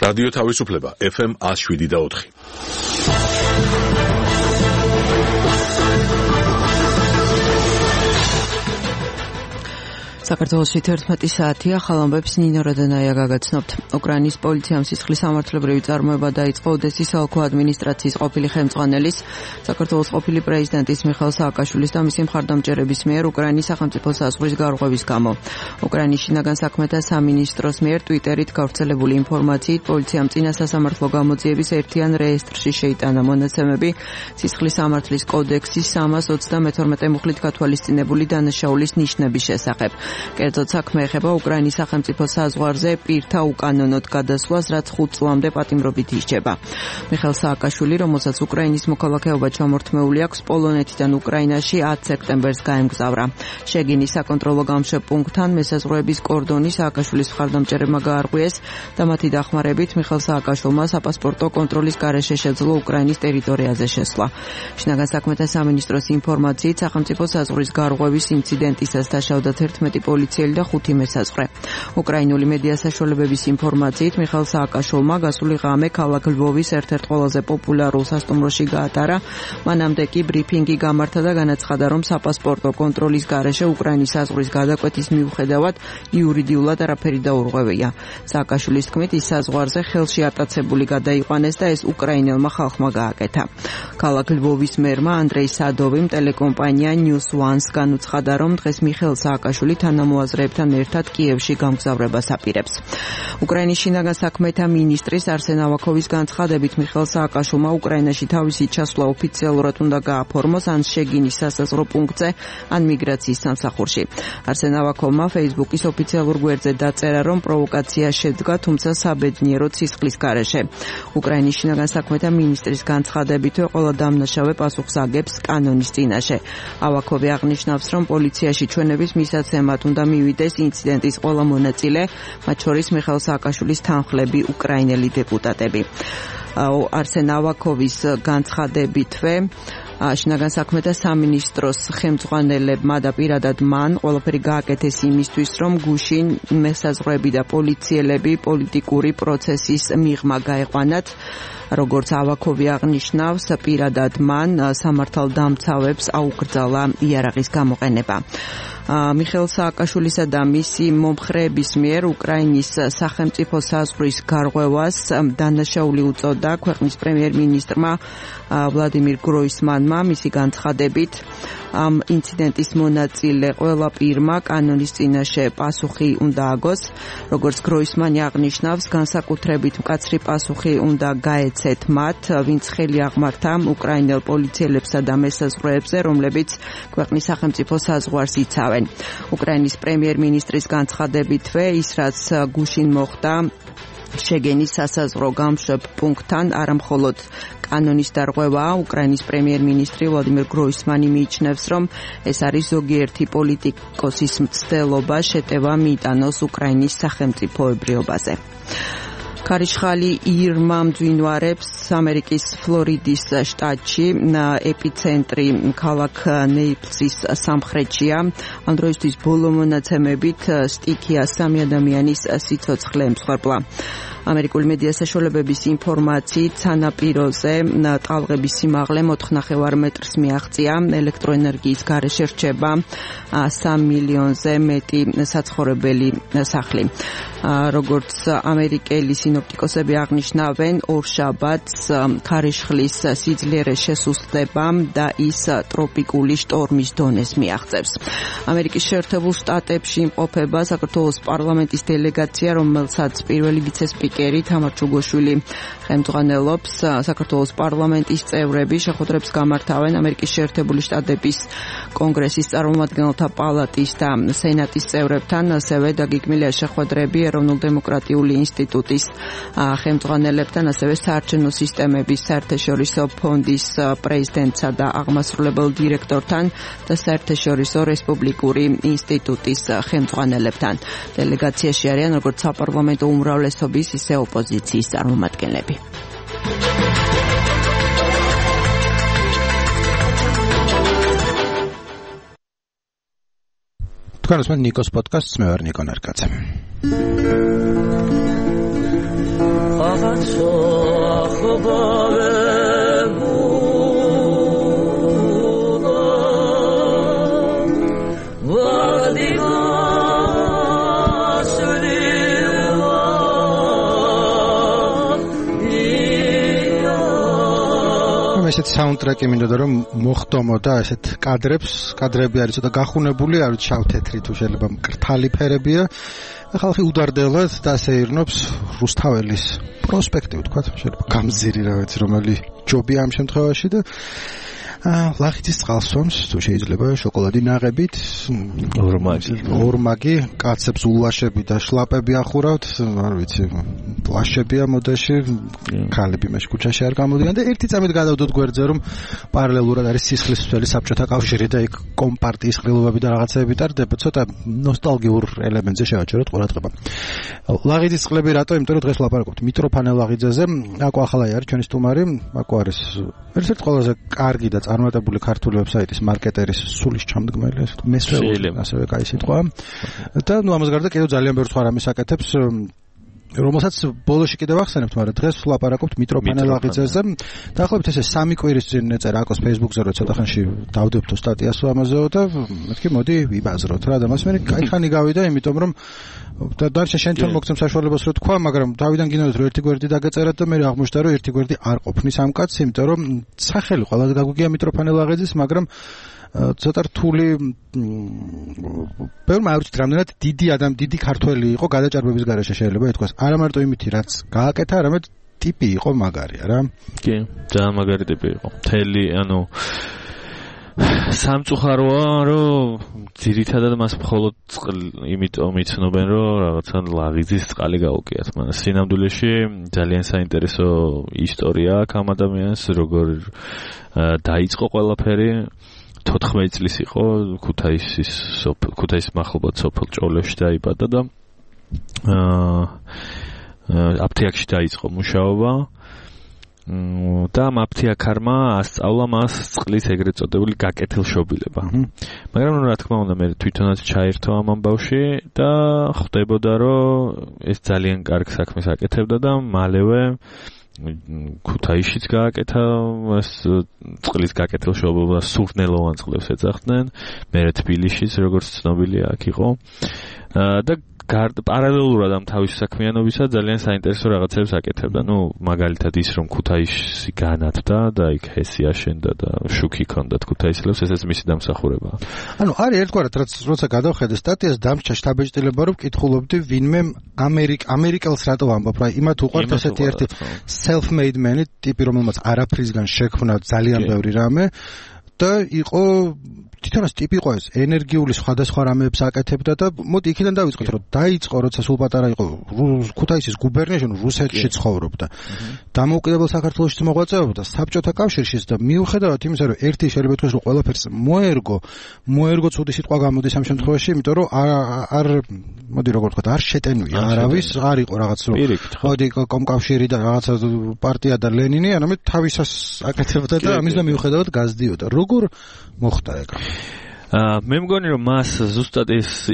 რადიო თავისუფლება FM 107.4. საქართველოში 11 საათია, ხალხობებს ნინო რადანაია გაგაცნობთ. უკრაინის პოლიციამ სისხლის სამართლებრივი წარმოება დაიწყო ოდესის ოლქო ადმინისტრაციის ყოფილი ხელმძღვანელის, საქართველოს ყოფილი პრეზიდენტის მიხეილ სააკაშვილის და მისი მხარდამჭერების მიერ უკრაინის სახელმწიფო საზღვრის გარღვევის გამო. უკრაინის შინაგან საქმეთა სამინისტროს მიერ ტვიტერით გავრცელებული ინფორმაციით პოლიციამ წინა სასამართლო გამოძიების ერთიან რეესტრში შეიტანა მონაცემები სისხლის სამართლის კოდექსის 332 მუხლით გათვალისწინებული დანაშაულის ნიშნების შესახებ. კერძოდ საქმე ეხება უკრაინის სახელმწიფო საზღვარზე პირთა უკანონოდ გადასვლას, რაც 5 წლამდე პატიმრობით ისჯება. მიხეილ სააკაშვილი, რომელსაც უკრაინის მოქალაქეობა ჩამორთმეული აქვს, პოლონეთიდან უკრაინაში 10 სექტემბერს გაემგზავრა. შეგინის საკონტროლო გამშვებ პუნქტთან მესაზღვრეების კორდონი სააკაშვილის მხარდამჭერებმა გაარღვიეს და მათი დახმარებით მიხეილ სააკაშვილმა საპასპორტო კონტროლის გარეშე შეძლო უკრაინის ტერიტორიაზე შესვლა. შინაგან საქმეთა სამინისტროს ინფორმაციით სახელმწიფო საზღვრის გარღვევის ინციდენტისას დაშავდა 11 პოლიციელი და 5 მესაზღვრე. უკრაინული მედია საშუალებების ინფორმაციით მიხეილ სააკაშვილმა გასული ღამე ქალაქ ლვოვის ერთ-ერთ ყველაზე პოპულარულ სასტუმროში გაატარა. მანამდე კი ბრიფინგი გამართა და განაცხადა, რომ საპასპორტო კონტროლის გარეშე უკრაინის საზღვრის გადაკვეთის მიუხედავად იურიდიულად არაფერი დაურღვევია. სააკაშვილის თქმით, ის საზღვარზე ხელში ატაცებული გადაიყვანეს და ეს უკრაინელმა ხალხმა გააკეთა. ქალაქ ლვოვის მერმა ანდრეი სადოვიმ ტელეკომპანია News One-ს განუცხადა, რომ დღეს მიხეილ სააკაშვილი თანამოაზრეებთან ერთად კიევში გამგზავრებას აპირებს. უკრაინის შინაგან საქმეთა მინისტრის არსენ ავაკოვის განცხადებით მიხეილ სააკაშვილმა უკრაინაში თავისი ჩასვლა ოფიციალურად უნდა გააფორმოს ან შეგინის სასაზღვრო პუნქტზე, ან მიგრაციის სამსახურში. არსენ ავაკოვმა Facebook-ის ოფიციალურ გვერდზე დაწერა, რომ პროვოკაცია შედგა, თუმცა საბედნიეროდ სისხლის გარეშე. უკრაინის შინაგან საქმეთა მინისტრის განცხადებითვე ყველა დამნაშავე პასუხს აგებს კანონის წინაშე. ავაკოვი აღნიშნავს, რომ პოლიციაში ჩვენების მისაცემად უნდა მივიდეს ინციდენტის ყველა მონაწილე, მათ შორის მიხეილ სააკაშვილის თანხლები, უკრაინელი დეპუტატები. არსენ ავაკოვის განცხადებითვე შინაგან საქმეთა სამინისტროს ხელმძღვანელებმა და პირადად მან ყველაფერი გააკეთეს იმისთვის, რომ გუშინ მესაზღვრეები და პოლიციელები პოლიტიკური პროცესის მიღმა გაეყვანათ. როგორც ავაკოვი აღნიშნავს, პირადად მან სამართალდამცავებს აუკრძალა იარაღის გამოყენება. მიხეილ სააკაშვილისა და მისი მომხრეების მიერ უკრაინის სახელმწიფო საზღვრის გარღვევას დანაშაული უწოდა ქვეყნის პრემიერ-მინისტრმა ვლადიმირ გროისმანმა. მისი განცხადებით, ამ ინციდენტის მონაწილე ყველა პირმა კანონის წინაშე პასუხი უნდა აგოს. როგორც გროისმანი აღნიშნავს, განსაკუთრებით მკაცრი პასუხი უნდა გაეცეთ მათ, ვინც ხელი აღმართა უკრაინელ პოლიციელებსა და მესაზღვრეებზე, რომლებიც ქვეყნის სახელმწიფო საზღვარს იცავენ. უკრაინის პრემიერ-მინისტრის განცხადებითვე, ის რაც გუშინ მოხდა შეგენის სასაზღვრო გამშვებ პუნქტთან, არამხოლოდ კანონის დარღვევაა. უკრაინის პრემიერ-მინისტრი ვლადიმირ გროისმანი მიიჩნევს, რომ ეს არის ზოგიერთი პოლიტიკოსის მცდელობა შეტევა მიიტანოს უკრაინის სახელმწიფოებრიობაზე. ქარიშხალი ირმა მძვინვარებს ამერიკის ფლორიდის შტატში, ეპიცენტრი ქალაქ ნეიპლსის სამხრეთშია. ამ დროისთვის ბოლო მონაცემებით სტიქია 3 ადამიანის სიცოცხლე ემსხვერპლა. ამერიკული მედია საშუალებების ინფორმაციით სანაპიროზე ტალღების სიმაღლე 4.5 მეტრს მიაღწია. ელექტროენერგიის გარეშე რჩება 3 მილიონზე მეტი საცხოვრებელი სახლი. როგორც ამერიკელი სინოპტიკოსები აღნიშნავენ, ორშაბათს ქარიშხლის სიძლიერე შესუსტდება და ის ტროპიკული შტორმის დონეს მიაღწევს. ამერიკის შეერთებულ შტატებში იმყოფება საქართველოს პარლამენტის დელეგაცია, რომელსაც პირველი ვიცე-სპიკერი თამარ ჩუგოშვილი ხელმძღვანელობს. საქართველოს პარლამენტის წევრები შეხვედრებს გამართავენ ამერიკის შეერთებული შტატების კონგრესის წარმომადგენელთა პალატის და სენატის წევრებთან, ასევე დაგეგმილია შეხვედრები ეროვნულ-დემოკრატიული ინსტიტუტის ხელმძღვანელებთან, ასევე საარჩევნო სისტემების საერთაშორისო ფონდის პრეზიდენტსა და აღმასრულებელ დირექტორთან და საერთაშორისო რესპუბლიკური ინსტიტუტის ხელმძღვანელებთან. დელეგაციაში არიან როგორც საპარლამენტო უმრავლესობის, ისე ოპოზიციის წარმომადგენლები. თქვენ უსმენთ ნიკოს პოდკასტს, მე ვარ ნიკო ნარკაძე. ესეთ საუნდტრეკი მინდოდა რომ მოხდომო და ესეთ კადრები არის ცოტა გახუნებული, არ ვიცი შავ-თეთრი თუ შეიძლება მკრთალი ფერებია. ხალხი უდარდელად დასეირნობს რუსთაველის პროსპექტი, ვთქვათ, შეიძლება გამზირი რა ვიცი რომელი ჯობია ამ შემთხვევაში და ლახიძის წყალსვამს თუ შეიძლება შოკოლადი ნაღებით ორმაგი კაცებს ულაშები და შლაპები ახურავთ, არ ვიცი, პლაშებია მოდაში, ქალები მე ქუჩაში არ გამოდიან და ერთი წამით გადავდოთ გვერდზე რომ პარალელურად არის სისხლისმცველი საბჭოთა კავშირი და იქ კომპარტიის ყრილობები და რაღაცეები ტარდება, ცოტა ნოსტალგიურ ელემენტზე შევაჩეროთ ყურადღება. ლაღიძის წყლები რატო? იმიტომ რომ დღეს ვლაპარაკობთ მიტროფანე ლაღიძეზე. აკო ახალაი არის ჩვენი სტუმარი, აკო არის ერთ-ერთი ყველაზე კარგი და წარმატებული ქართული ვებსაიტის მარკეტერის სულის ჩამდგმელი, მესვეული ასევე კაი სიტყვა. და ნუ ამას გარდა კიდევ ძალიან ბევრ სხვა რამეს აკეთებს, რომელსაც ბოლოში კიდევ ახსენებთ, მაგრამ დღეს ვლაპარაკობთ მიტროფანე ლაღიძეზე. დაახლოებით ესე 3 კვირის წინ ეწერა აკოს Facebook-ზე, რომ ცოტა ხანში დავდებთო სტატიას ამაზეო და მეთქი მოდი ვიბაზროთ რა და მას მე კაი ხანი გავიდა, იმიტომ რომ და დარჩა შენთან მოგცემ საშუალებას რომ თქვა, მაგრამ თავიდან გინდათ რომ ერთი გვერდი დაგეწერათ და მე აღმოჩნდა რომ ერთი გვერდი არ ყოფნის ამ კაცს, იმიტომ რომ სახელი ყველაზე გაგვიგია მიტროფანე ლაღიძის, მაგრამ ცოტა რთული ბევრმა არ ვიცით რამდენად დიდი ქართველი იყო გადაჭარბების გარეშე შეიძლება ითქვას. არა მარტო იმითი რაც გააკეთა, არამედ ტიპი იყო მაგარია რა. კი, ძალიან მაგარი ტიპი იყო. მთელი, სამწუხაროა, რომ ძირითადად მას მხოლოდ იმიტომ იცნობენ, რომ რაღაცა ლაღიძის წყალი გაუგიათ. მაგრამ სინამდვილეში ძალიან საინტერესო ისტორია აქვს ამ ადამიანს, როგორ დაიწყო ყველაფერი. 14 წლის იყო, ქუთაისის მახლობლად სოფელ ჭოლებში დაიბადა და აფთიაქში დაიწყო მუშაობა. და ამ აფთიაქარმა ასწავლა მას წყლის ეგრეთ წოდებული გაკეთილშობილება. მაგრამ რა თქმა უნდა მე თვითონაც ჩაერთო ამ ამბავში და ხვდებოდა რომ ეს ძალიან კარგ საქმეს აკეთებდა და მალევე ქუთაისშიც გააკეთა ეს წყლის გაკეთილშობილება, სურნელოვან წყლებს ეძახდნენ, მერე თბილისშიც როგორც ცნობილია აქ იყო და პარალელურად ამ თავის საქმიანობისა ძალიან საინტერესო რაღაცებს აკეთებდა. ნუ მაგალითად ის რომ ქუთაისში განათდა და იქ ჰესი აშენდა და შუქი ჰქონდათ ქუთაისელებს, ესეც მისი დამსახურებაა. არის ერთგვარად რაც როცა გადავხედე სტატიას დამჭა შთაბეჭდილება რომ კითხულობდი ვინმე ამერიკელს რატო ამბობ რა, იმათ უყვართ ესეთი ერთი self-made man ტიპი რომელმაც არაფრისგან შექმნა ძალიან ბევრი რამე და იყო თვითონაც ტიპი იყო ეს ენერგიული სხვადასხვა რამეებს აკეთებდა და მოდი იქიდან დავიწყოთ რომ დაიწყო როცა სულ პატარა იყო ქუთაისის გუბერნიაში, რუსეთში ცხოვრობდა. დამოუკიდებელ საქართველოში მოღვაწეობდა საბჭოთა კავშირშიც და მიუხედავად იმისა რომ ერთი შეიძლება თქვას რომ ყველაფერს მოერგო ცუდი სიტყვა გამოდის ამ შემთხვევაში, იმიტომ რომ არ მოდი როგორ ვთქვა, არ შეტენვია არავის, არ იყო რაღაც რომ მოდი კომკავშირი და რაღაცა პარტია და ლენინი, არამედ თავისას აკეთებდა და ამის და მიუხედავად გაზდიოდა. როგორ მოხდა ეგ? მე მგონი რომ მას ზუსტად ეს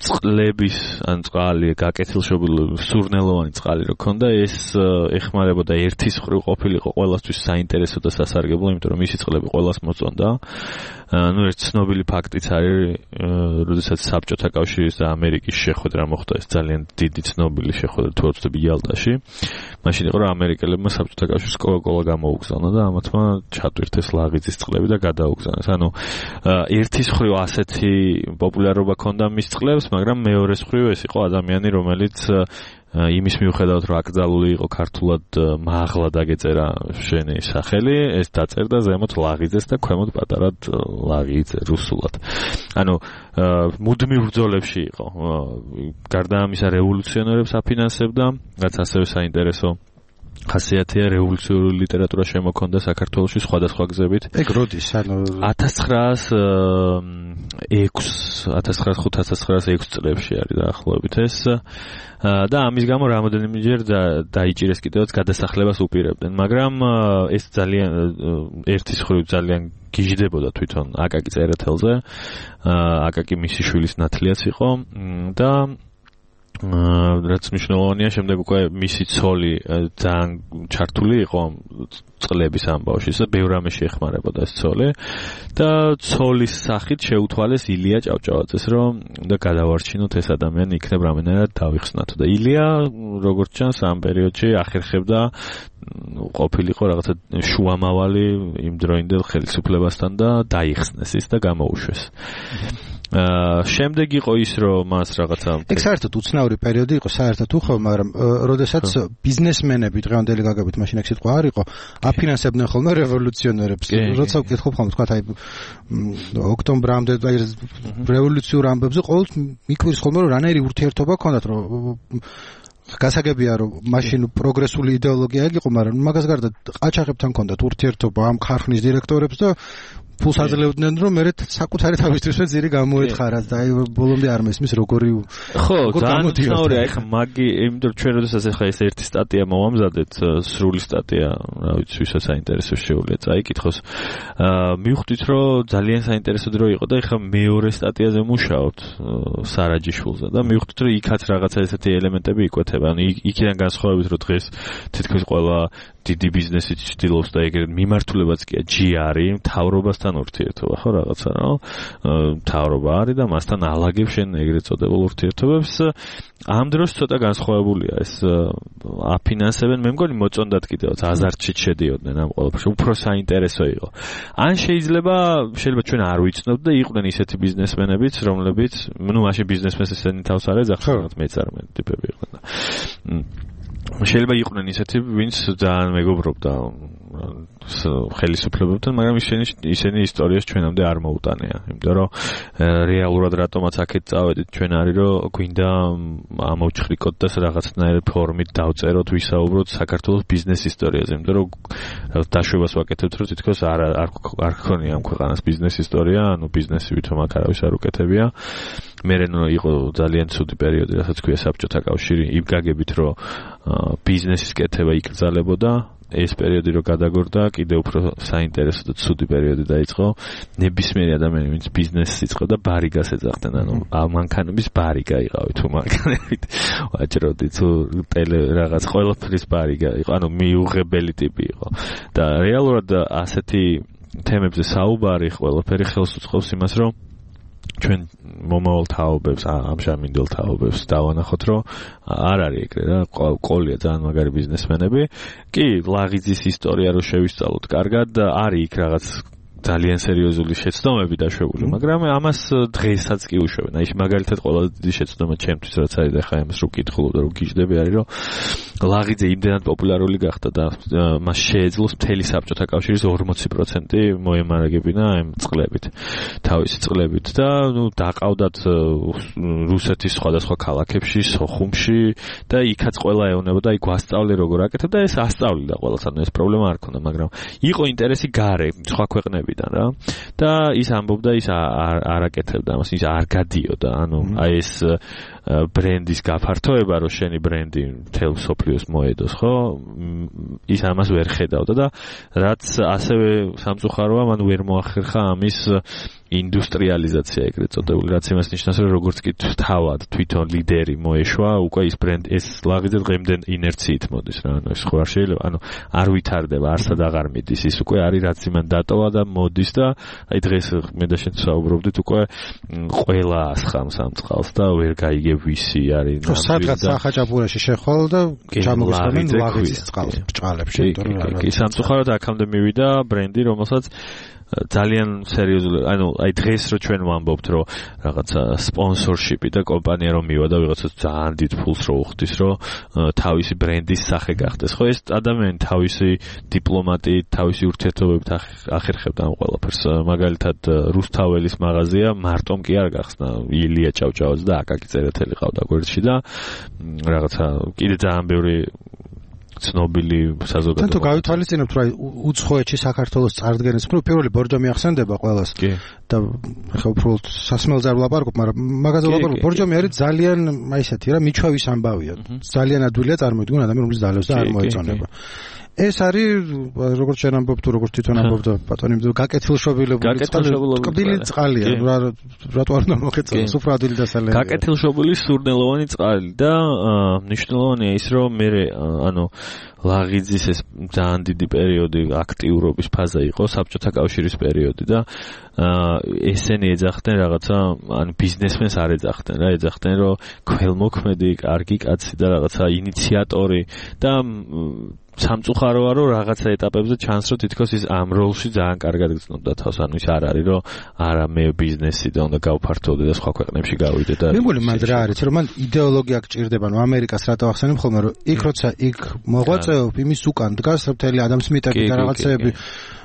წყლების ან წყალი გაკეთილშობილი სურნელოვანი წყალი რო ქონდა, ეს ეხმარებოდა ერთის მხრივ ყოფილიყო ყველასთვის საინტერესო და სასარგებლო, იმიტომ რომ მისი წყლები ყველას მოწონდა. ნუ ერთ ცნობილი ფაქტიც არის, როდესაც საბჭოთა კავშირის და ამერიკის შეხვედრა მოხდა, ეს ძალიან დიდი ცნობილი შეხვედრა თუ ვთქვი იალტაში. მაშინ იყო რომ ამერიკელებმა საბჭოთა კავშირს კოკა-კოლა გამოუგზავნა და ამათმა ჩატვირთეს ლაღიძის წყლები და გადაუგზავნეს. ერთის მხრივ ასეთი პოპულარობა ჰქონდა მის წყლებს, მაგრამ მეორეს მხრივ ეს იყო ადამიანი, რომელიც იმის მიუხედავად რომ აკრძალული იყო ქართულად მაღლა დაგეწერა შენი სახელი, ეს დაწერდა ზემოთ ლაღიძეს და ქვემოთ პატარად ლაღიძე რუსულად. მუდმივ ბრძოლებში იყო. გარდა ამისა რევოლუციონერებს აფინანსებდა, რაც ასევე საინტერესო ხასიათია, რევოლუციური ლიტერატურა შემოქონდა საქართველოში სხვადასხვა გზებით. ეგ როდის? 1905-1906 წლებში არის დაახლოებით ეს. და ამის გამო რამოდენიმეჯერ დაიჭირეს კიდევაც გადასახლებას უპირებდნენ, მაგრამ ეს ძალიან ერთის მხრივ ძალიან გიჟდებოდა თვითონ აკაკი წერეთელზე. აკაკი მისი შვილის ნათლიაც იყო და რაც მნიშვნელოვანია, შემდეგ უკვე მისი ცოლი ძალიან ჩართული იყო წყლების ამბავში და ბევრ რამეში ეხმარებოდა ეს ცოლი და ცოლის სახით შეუთვალეს ილია ჭავჭავაძეს, რომ და გადავარჩინოთ ეს ადამიანი იქნებ რამენერად დავიხსნათ და ილია როგორც ჩანს ამ პერიოდში ახერხებდა ყოფილიყო რაღაცა შუამავალი იმ დროინდელ ხელისუფლებასთან და დაიხსნეს ის და გამოუშვეს. შემდეგ იყო ის რომ მას რაღაცა ეგ საერთოდ უცნაური პერიოდი იყო საერთოდ უხო, მაგრამ როდესაც ბიზნესმენები დღევანდელი გაგებით მაშინ ეგ სიტყვა არ იყო აფინანსებდნენ ხოლმე რევოლუციონერებს, როცა ვკითხულობ ხოლმე თქვა აი ოქტომბრამდე აი რევოლუციურ ამბებზე ყოველთვის მიკვირს ხოლმე რომ რანაირი ურთიერთობა ჰქონდათ, რომ გასაგებია რომ მაშინ პროგრესული იდეოლოგია იყო, მაგრამ მაგას გარდა ყაჩაღებთან ჰქონდათ ურთიერთობა ამ ქარხნის დირექტორებს და ფულს აძლევდნენ რომ მე საკუთარი თავისთვის ძირი გამოეთხარათ და აი ბოლომდე არ მესმის როგორი ხო ძალიან ახლა მაგი იმიტომ ჩვენ როდესაც ახლა ეს ერთი სტატია მოვამზადეთ სრული სტატია რა ვიცი ვისაც საინტერესო შეუძლია წაიკითხოს მივხვდით რომ ძალიან საინტერესო დრო იყო და ახლა მეორე სტატიაზე მუშაობთ სარაჯიშვილზე და მივხვდით რომ იქაც რაღაცა ესეთი ელემენტები იკვეთება ანუ იქიდან განსხვავებით რომ დღეს თითქოს ყველა დიდი ბიზნესი ცდილობს და ეგრეთ მიმართულებაც კი ჯიარი მთავრობასთან ურთიერთობა ხო რაღაცა რა მთავრობა არის და მასთან ალაგებს შენ ეგრეთ წოდებულ ურთიერთობებს ამ დროს ცოტა განსხვავებულია ეს აფინანსებენ მე მგონი მოწონდათ კიდევაც აზარტში შედიოდნენ ამ ყველაფერში უფრო საინტერესო იყო ან შეიძლება ჩვენ არ ვიცნობთ და იყვნენ ისეთი ბიზნესმენებიც რომლებიც ნუ მაშინ ბიზნესმენს ესენი თავს არ ეძახდნენ მეწარმე ტიპები იყვნენ და შეიძლება იყვნენ ისეთი ვინც ძალიან მეგობრობდა ხელისუფლებებთან, მაგრამ ისინი ისტორიას ჩვენამდე არ მოუტანია. იმიტომ რომ რეალურად რატომაც აქეთ წავედით ჩვენ არის რომ გვინდა ამოვჭხრიკოთ და რაღაცნაირ ფორმით დავწეროთ, ვისაუბროთ საქართველოს ბიზნეს ისტორიაზე. იმიტომ რომ დაშვებას ვაკეთებთ, რომ თითქოს არ გქონია ამ ქვეყანას ბიზნეს ისტორია, ანუ ბიზნესი ვითომ აქ არავის არ უკეთებია. მერე იყო ძალიან ცუდი პერიოდი, რასაც ქვია საბჭოთა კავშირი, იმ გაგებით რომ ბიზნესის კეთება იკრძალებოდა. ეს პერიოდი რო გადაგორდა, კიდე უფრო საინტერესო და ცუდი პერიოდი დაიწყო. ნებისმიერი ადამიანი, ვინც ბიზნესს იწყებდა, ბარიგას ეძახდნენ, ანუ მანქანების ბარიგა იყავი თუ მანქანებით. ვაჭროდი თუ ტელე რაღაც ყველაფრის ბარიგა იყო, ანუ მიუღებელი ტიპი იყო. და რეალურად ასეთი თემებზე საუბარი ყველაფერი ხელს უწყობს იმას, რომ ჩვენ მომავალ თაობებს, ამჟამინდელ თაობებს დავანახოთ, რომ არ არის ეგრე რა, ყოლია ძალიან მაგარი ბიზნესმენები. კი, ლაღიძის ისტორია რო შევისწავლოთ კარგად, არის იქ რაღაც ძალიან სერიოზული შეცდომები დაშვებული, მაგრამ ამას დღესაც კი უშვებენ. აი მაგალითად ყველა დიდი შეცდომა ჩემთვის რაც არის და ხა ამას რო კითხულობ და რო გიждები არის, რომ ლაღიძე იმდენად პოპულარული გახდა და მას შეეძლოს მთელი საბჭოთა კავშირის 40% მოემარაგებინა ამ წყლებით, თავისი წყლებით და ნუ დაყავდათ რუსეთის სხვადასხვა ქალაქებში, სოხუმში და იქაც ყველა ეოვნებოდა, აი გვასწავლე როგორ აკეთებ და ეს ასწავლიდა ყველას, ანუ ეს პრობლემა არ ქონდა, მაგრამ იყო ინტერესი გარე სხვა ქვეყნებიდან რა და ის ამბობდა ის არ აკეთებდა ამას, ის არ გადიოდა, ანუ აი ეს ბრენდის გაფართოება, რომ შენი ბრენდი მთელ მსოფლიოს მოედოს, ხო? ის ამას ვერ ხედავდა და რაც ასევე სამწუხაროა, მან ვერ მოახერხა ამის ინდუსტრიალიზაცია ეგრეთ წოდებული, რაც იმას ნიშნავს, რომ როგორც კი თავად თვითონ ლიდერი მოეშვა, უკვე ის ბრენდი ეს ლაღიძე დღემდე ინერციით მოდის რა, ანუ ეს ხო არ შეიძლება, ანუ არ ვითარდება, არსად აღარ მიდის, ის უკვე არის რაც იმან დატოვა და მოდის და აი დღეს მე და შენ საუბრობდით უკვე ყველა ასხამს ამ წყალს და ვერ გაიგებ ვისი არის ნამდვილად. სადღაც სახაჭაპურაში შეხვალ და ჩამოგისწრებენ ლაღიძის წყალს ბჭყალებში, კი სამწუხაროდ აქამდე მივიდა ბრენდი, რომელსაც ძალიან სერიოზული, ანუ აი დღეს რო ჩვენ ვამბობთ, რომ რაღაცა სპონსორშიპი და კომპანია რომ მივიდა ვიღაცას ძალიან დიდ ფულს რო უხდის, რომ თავისი ბრენდის სახე გახდეს. ხო ეს ადამიანი თავისი დიპლომატიით, თავისი ურთიერთობებით ახერხებდა ამ ყველაფერს. მაგალითად რუსთაველის მაღაზია მარტომ კი არ გახსნა, ილია ჭავჭავაძე და აკაკი წერეთელი ყავდა გვერდში და რაღაცა კიდე ძალიან ბევრი ცნობილი საზოგადოება. თუ გავითვალისწინებთ, რომ უცხოეთში საქართველოს წარდგენის პირველი ბორჯომი ახსენდება ყველას და ხა უფრო სასმელზე არ ვლაპარაკობ, მაგრამ მაგაზე ვლაპარაკობ. ბორჯომი არის ძალიან აი ესეთი რა, მიჩვევის ამბავია. ძალიან ადვილია წარმოიდგინონ ადამიანი, რომლის დალევს და არ მოეწონება. ეს არის როგორც შენ ამბობ თუ როგორც თვითონ ამბობ და ბატონი გაკეთილშობილებული წყალი წყალია რატო არ უნდა მოხეწოს სუფრადილი დასალევი გაკეთილშობილი სურნელოვანი წყალი და მნიშვნელოვანია ის რომ მე ანუ ლაღიძის ეს ძალიან დიდი პერიოდი აქტიურობის ფაზა იყო საბჭოთა კავშირის პერიოდი და ესენი ეძახდნენ რაღაცა ან ბიზნესმენს არ ეძახდნენ რა ეძახდნენ რომ ქველმოქმედი კარგი კაცი და რაღაცა ინიციატორი და სამწუხაროა რომ რაღაცა ეტაპებზე ჩანს რომ თითქოს ის ამ როლში ძალიან კარგად გრძნობდა თავს ანუ ის არ არის რომ არა მე ბიზნესი და უნდა გავფართოვდე და სხვა ქვეყნებში გავიდე და მე მგონი მანდ რა არის რომ მან იდეოლოგია გჭირდება ნუ ამერიკას რატო ახსენებ ხოლმე რომ იქ როცა იქ მოღვაწეობ იმის უკან დგას მთელი ადამ სმიტები და რაღაცეები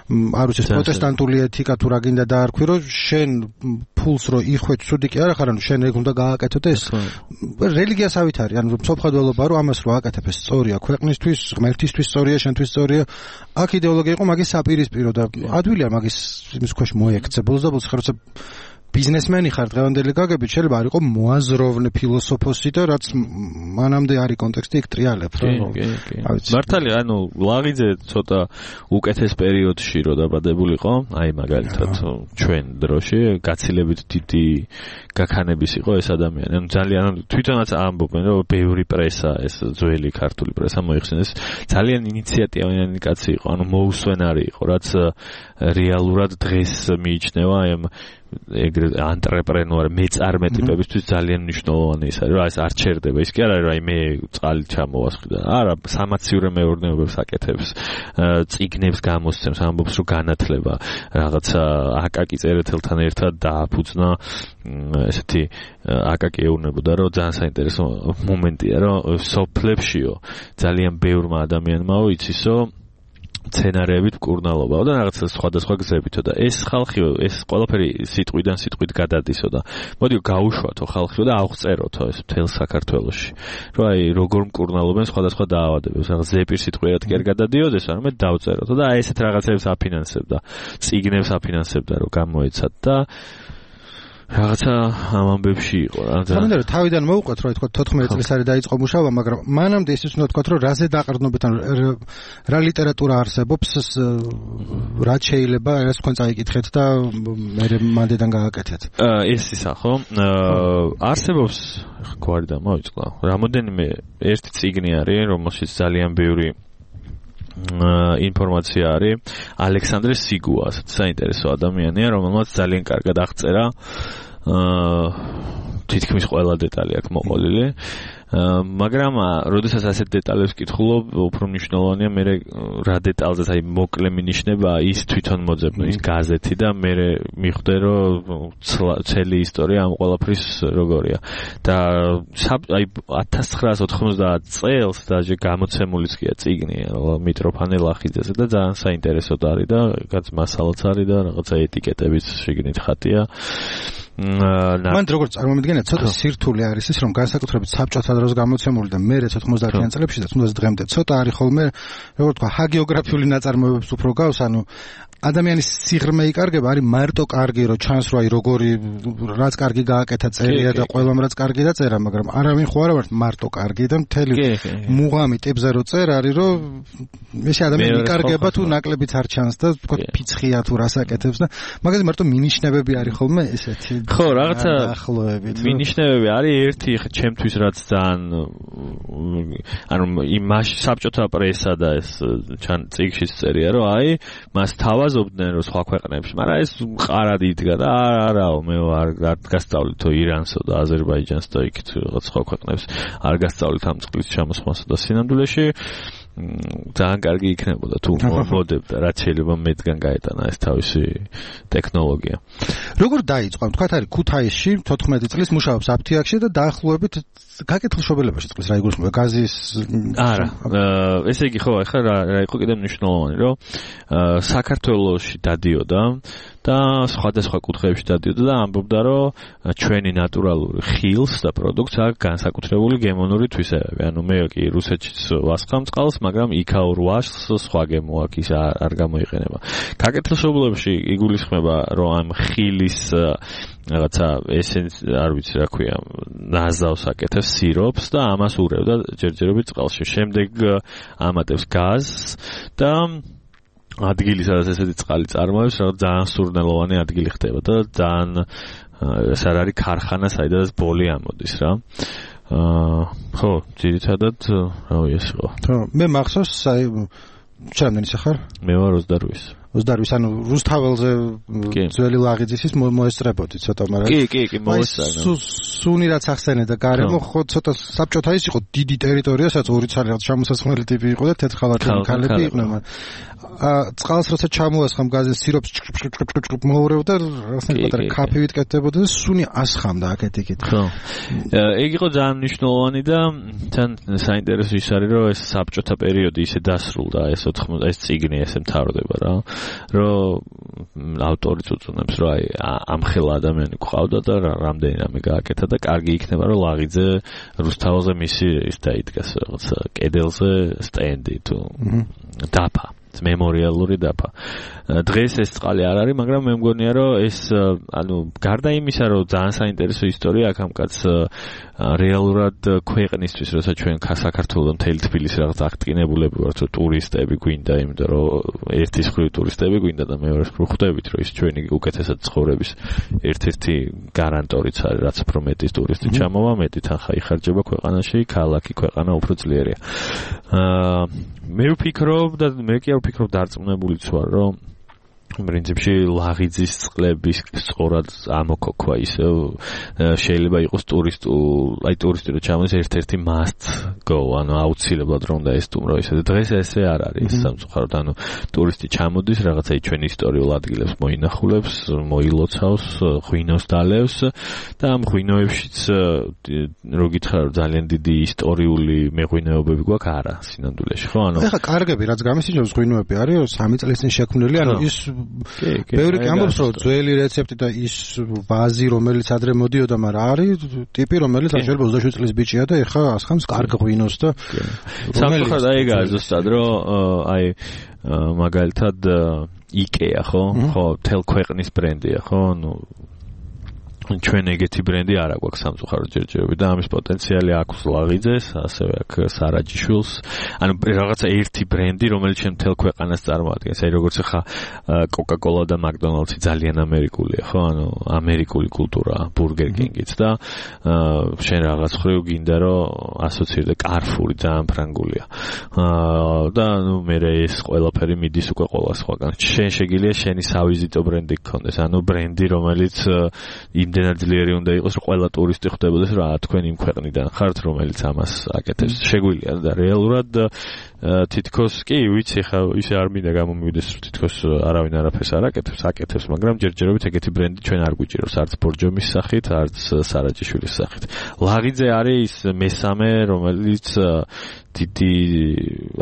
არ ვიცი პროტესტანტული ეთიკა თუ რა გინდა დაარქვი რომ შენ ფულს რო იხვეც ცუდი კი არა ხარ ანუ შენ ეგ უნდა გააკეთოთ ეს რელიგიასავით არის ანუ სოფხადველობა რომ ამას რო აკეთებ ეს სწორია ქვეყნისთვის ღმერთისთვის სწორია შენთვის სწორია აქ იდეოლოგია იყო მაგის საპირისპირო და ადვილია მაგის იმის ქვეშ მოექცე ბოლოს და ბოლოს ხარ როცა ბიზნესმენი ხარ დღევანდელი გაგებით შეიძლება არ იყო მოაზროვნე ფილოსოფოსი და რაც მანამდე არის კონტექსტი იქ ტრიალებ რა მართალია ანუ ლაღიძე ცოტა უკეთეს პერიოდში რო დაბადებულიყო აი მაგალითად ჩვენ დროში გაცილებით დიდი გაქანების იყო ეს ადამიანი ანუ ძალიან თვითონაც ამბობენ რომ ბევრი პრესა ეს ძველი ქართული პრესა მოიხსენეს ძალიან ინიციატივიანი კაცი იყო ანუ მოუსვენარი იყო რაც რეალურად დღეს მიიჩნევა აი ეგრე ანტრეპრენორი მეწარმე ტიპებისთვის ძალიან მნიშვნელოვანი ის არის რა ეს არ ჩერდება ის კი არა რომ აი მე წყალი ჩამოვასხი და არა სამაციურე მეურნეობებს აკეთებს წიგნებს გამოსცემს ამბობს რომ განათლება რაღაცა აკაკი წერეთელთან ერთად დააფუძნა ესეთი აკაკი ეუბნებოდა რომ ძალიან საინტერესო მომენტია რომ სოფლებშიო ძალიან ბევრმა ადამიანმაო იცისო სცენარებით მკურნალობა და რაღაცა სხვადასხვა გზებითო და ეს ხალხიო ეს ყველაფერი სიტყვიდან სიტყვით გადადისო და მოდიო გაუშვათო ხალხიო და აღწეროთო ეს მთელ საქართველოში რომ აი როგორ მკურნალობენ სხვადასხვა დაავადებებს რაღაც ზეპირ სიტყვიერად კი არ გადადიოდეს არამედ დავწეროთო და აი ესეთ რაღაცებს აფინანსებდა წიგნებს აფინანსებდა რომ გამოეცათ და რაღაცა ამ ამბებში იყო რა. თუმცა თავიდან მოუყვეთ რომ თქვა 14 წელს არის დაიწყო მუშაობა, მაგრამ მანამდე ის უნდა თქვა რომ რაზე დაყრდნობით ან რა ლიტერატურა არსებობს, რა შეიძლება ეს თქვენ წაიკითხეთ და მე მანდედან გააკეთეთ. ეს ისა ხო? არსებობს გვარი და მოვიწყდა. რამოდენიმე ერთი წიგნი არის, რომელშიც ძალიან ბევრი ინფორმაცია არის ალექსანდრე სიგუას საინტერესო ადამიანია რომელმაც ძალიან კარგად აღწერა თითქმის ყველა დეტალი აქვს მოყოლილი მაგრამ როდესაც ასეთ დეტალებს ვკითხულობ უფრო მნიშვნელოვანია მე რა დეტალზეც აი მოკლე მინიშნება ის თვითონ მოძებნა ის გაზეთი და მე მიხვდე რომ ცელი ისტორია ამ ყველაფრის როგორია და აი 1990 წელს დაჟე გამოცემულიც გია წიგნი მიტროფანე ლახიძეზე და ძალიან საინტერესო არის და რაღაც მასალაც არის და რაღაცა ეტიკეტებიც შეგნით ხატია მან როგორც წარმომიდგენია ცოტა სირთულე არის ის რომ განსაკუთრებით საბჭოთა დროს გამოცემული და მე 90-იან წლებში და თუნდაც დღემდე ცოტა არის ხოლმე როგორც თქვა ჰაგიოგრაფიული ნაწარმოებებს უფრო გავს ანუ ადამიანის სიღრმე იკარგება არის მარტო კარგი რომ ჩანს რომ აი როგორი რაც კარგი გააკეთა წერია და ყველამ რაც კარგი დაწერა მაგრამ არავინ ხო არა მარტო კარგი და მთელი მუღამი ტიპზე რო წერ არის რომ ეს ადამიანი იკარგება თუ ნაკლებიც არ ჩანს და თქო ფიცხია თუ რას აკეთებს და მაგაზე მარტო მინიშნებები არის ხოლმე ესეთი ხო რაღაცა მინიშნებები არის ერთი ჩემთვის რაც ძალიან ანუ იმაში საბჭოთა პრესა და ეს წიგნშიც წერია რომ აი მას თავაზობდნენ რომ სხვა ქვეყნებში მაგრამ ეს ყარად იდგა და არაო მე არ გასწავლითო ირანსო და აზერბაიჯანს და იქ რაღაც სხვა ქვეყნებს არ გასწავლით ამ წყლის ჩამოსვლასა და სინამდვილეში ძალიან კარგი იქნებოდა თუ მოდებდა რაც შეიძლება მეტგან გაეტანა ეს თავისი ტექნოლოგია. როგორ დაიწყო? თქვათ არის ქუთაისში 14 წლის მუშაობს აფთიაქში და დაახლოებით გაკეთილშობილებაში წყლის რა იგულისხმება გაზის არა ესე იგი ხო ახლა რა იყო კიდე მნიშვნელოვანი რომ საქართველოში დადიოდა და სხვადასხვა კუთხეებში დადიოდა და ამბობდა, რომ ჩვენი ნატურალური ხილს და პროდუქტს აქვს განსაკუთრებული გემონური თვისებები. ანუ მე კი რუსეთშიც ვასხამ წყალს, მაგრამ იქაურ ვაშლს სხვა გემო აქვს, ის არ გამოიყენება. გაკეთილშობილებში იგულისხმება, რომ ამ ხილის რაღაცა ესენს არ ვიცი რა ქვია, ნაზავს აკეთებს სიროპს და ამას ურევდა ჯერჯერობით წყალში. შემდეგ ამატებს გაზს და ადგილი, სადაც ესეთი წყალი წარმოებს, რაღაც ძალიან სურნელოვანი ადგილი ხდება და ძალიან ეს არ არის ქარხანა, საიდანაც ბოლი ამოდის რა. ხო, ძირითადად რავი ეს იყო. ხო, მე მახსოვს, ჩემდენი სახარ? მე ვარ 28. 28, ანუ რუსთაველზე ძველი ლაღიძის მოესწრებოდი ცოტა, მაგრამ კი, მოესწრებოდი. სუნი რაც ახსენე და გარემო ხო ცოტა საბჭოთა ის იყო დიდი ტერიტორია, სადაც ორი ცალი რაღაც ჩამოსასხმელი ტიპი იყო და თეთრხალატიანი ქალები იყვნენ, მაგრამ წყალს როცა ჩამოასხამ გაზის სიროპს მოურევდა, რაღაცნაირად პატარა კაფევით კეთდებოდა და სუნი ასხამდა აქეთ-იქით. ხო. ეგ იყო ძალიან მნიშვნელოვანი და თან საინტერესო ის არის, რომ ეს საბჭოთა პერიოდი ისე დასრულდა, ეს წიგნი ესე მთავრდება რა. რომ ავტორიც უწუნებს, რომ აი ამხელა ადამიანი გვყავდა და რამდენი რამე გააკეთა და კარგი იქნება, რომ ლაღიძე რუსთაველზე მისი ის დაიდგას რაღაც კედელზე სტენდი თუ დაფა, მემორიალური დაფა. დღეს ეს წყალი არ არის, მაგრამ მე მგონია, რომ ეს ანუ გარდა იმისა, რომ ძალიან საინტერესო ისტორია აქ ამ კაც რეალურად ქვეყნისთვის, როცა ჩვენ საქართველოს მთელი თბილისი რაღაც აღტკინებულები ვართ, რომ ტურისტები გვინდა, იმიტომ რომ ერთის მხრივ ტურისტები გვინდა და მეორეს მხრივ ხვდებით, რომ ის ჩვენი უკეთესად ცხოვრების ერთ-ერთი გარანტორიც არის, რაც უფრო მეტის ტურისტი ჩამოვა, მეტი თანხა იხარჯება ქვეყანაში, ქალაქი ქვეყანა უფრო ძლიერია. მე ვფიქრობ და მე კი არ ვფიქრობ დარწმუნებულიც ვარ, რომ პრინციპში ლაღიძის წყლების სწორად ამოქოქვა ისე შეიძლება იყოს ტურისტი რო ჩამოდის ერთ-ერთი must go, ანუ აუცილებლად რომ და ესტუმრო ისე. დღეს ესე არ არის სამწუხაროდ, ანუ ტურისტი ჩამოდის რაღაცა ჩვენ ისტორიულ ადგილებს მოინახულებს, მოილოცავს, ღვინოს დალევს და ამ ღვინოებშიც რო გითხრა ძალიან დიდი ისტორიული მეღვინეობები გვაქვს არა სინამდვილეში, ხო? ანუ ეხლა კარგები რაც გამისიჯობს ღვინოები არის 3 წლის წინ შექმნილი, ანუ ის ბევრი კი ამბობს, რომ ძველი რეცეპტი და ის ვაზი, რომელიც ადრე მოდიოდა, მაგრამ არის ტიპი, რომელიც შეიძლება 27 წლის ბიჭია და ეხლა ასხამს კარგ ღვინოს და სამწუხაროდ აი ეგაა ზუსტად, რომ აი მაგალითად IKEA, ხო, თელ ქვეყნის ბრენდია, ხო, ну ჩვენ ეგეთი ბრენდი არ აქვს სამწუხაროდ ჯერჯერობით და ამის პოტენციალი აქვს ლაღიძეს, ასევე აქვს სარაჯიშვილს. ანუ რაღაცა ერთი ბრენდი, რომელიც შენ მთელ ქვეყანას წარმოადგენს. აი როგორც ხა Coca-Cola და McDonald's ძალიან ამერიკულია, ხო? ანუ ამერიკული კულტურა, Burger King-იც და შენ რაღაც ხრივ გინდა რომ ასოცირდე Carrefour-ი ძალიან ფრანგულია. და ნუ მე ეს ყველაფერი მიდის უკვე ყველა სხვაგან. შენ შეგიძლია შენი სავიზიტო ბრენდი გქონდეს, ანუ ბრენდი რომელიც იმდენად ძლიერი უნდა იყოს, რომ ყველა ტურისტი ხვდებოდეს, რა თქვენ იმ ქვეყნიდან ხართ, რომელიც ამას აკეთებს. შეგვიძლია და რეალურად თითქოს კი ვიცი ხა ისე არ მინდა გამომივიდეს, რომ თითქოს არავინ არაფერს არ აკეთებს, მაგრამ ჯერჯერობით ეგეთი ბრენდი ჩვენ არ გვიჭირავს, არც ბორჯომის სახით, არც სარაჯიშვილის სახით. ლაღიძე არის მესამე, რომელიც დიდი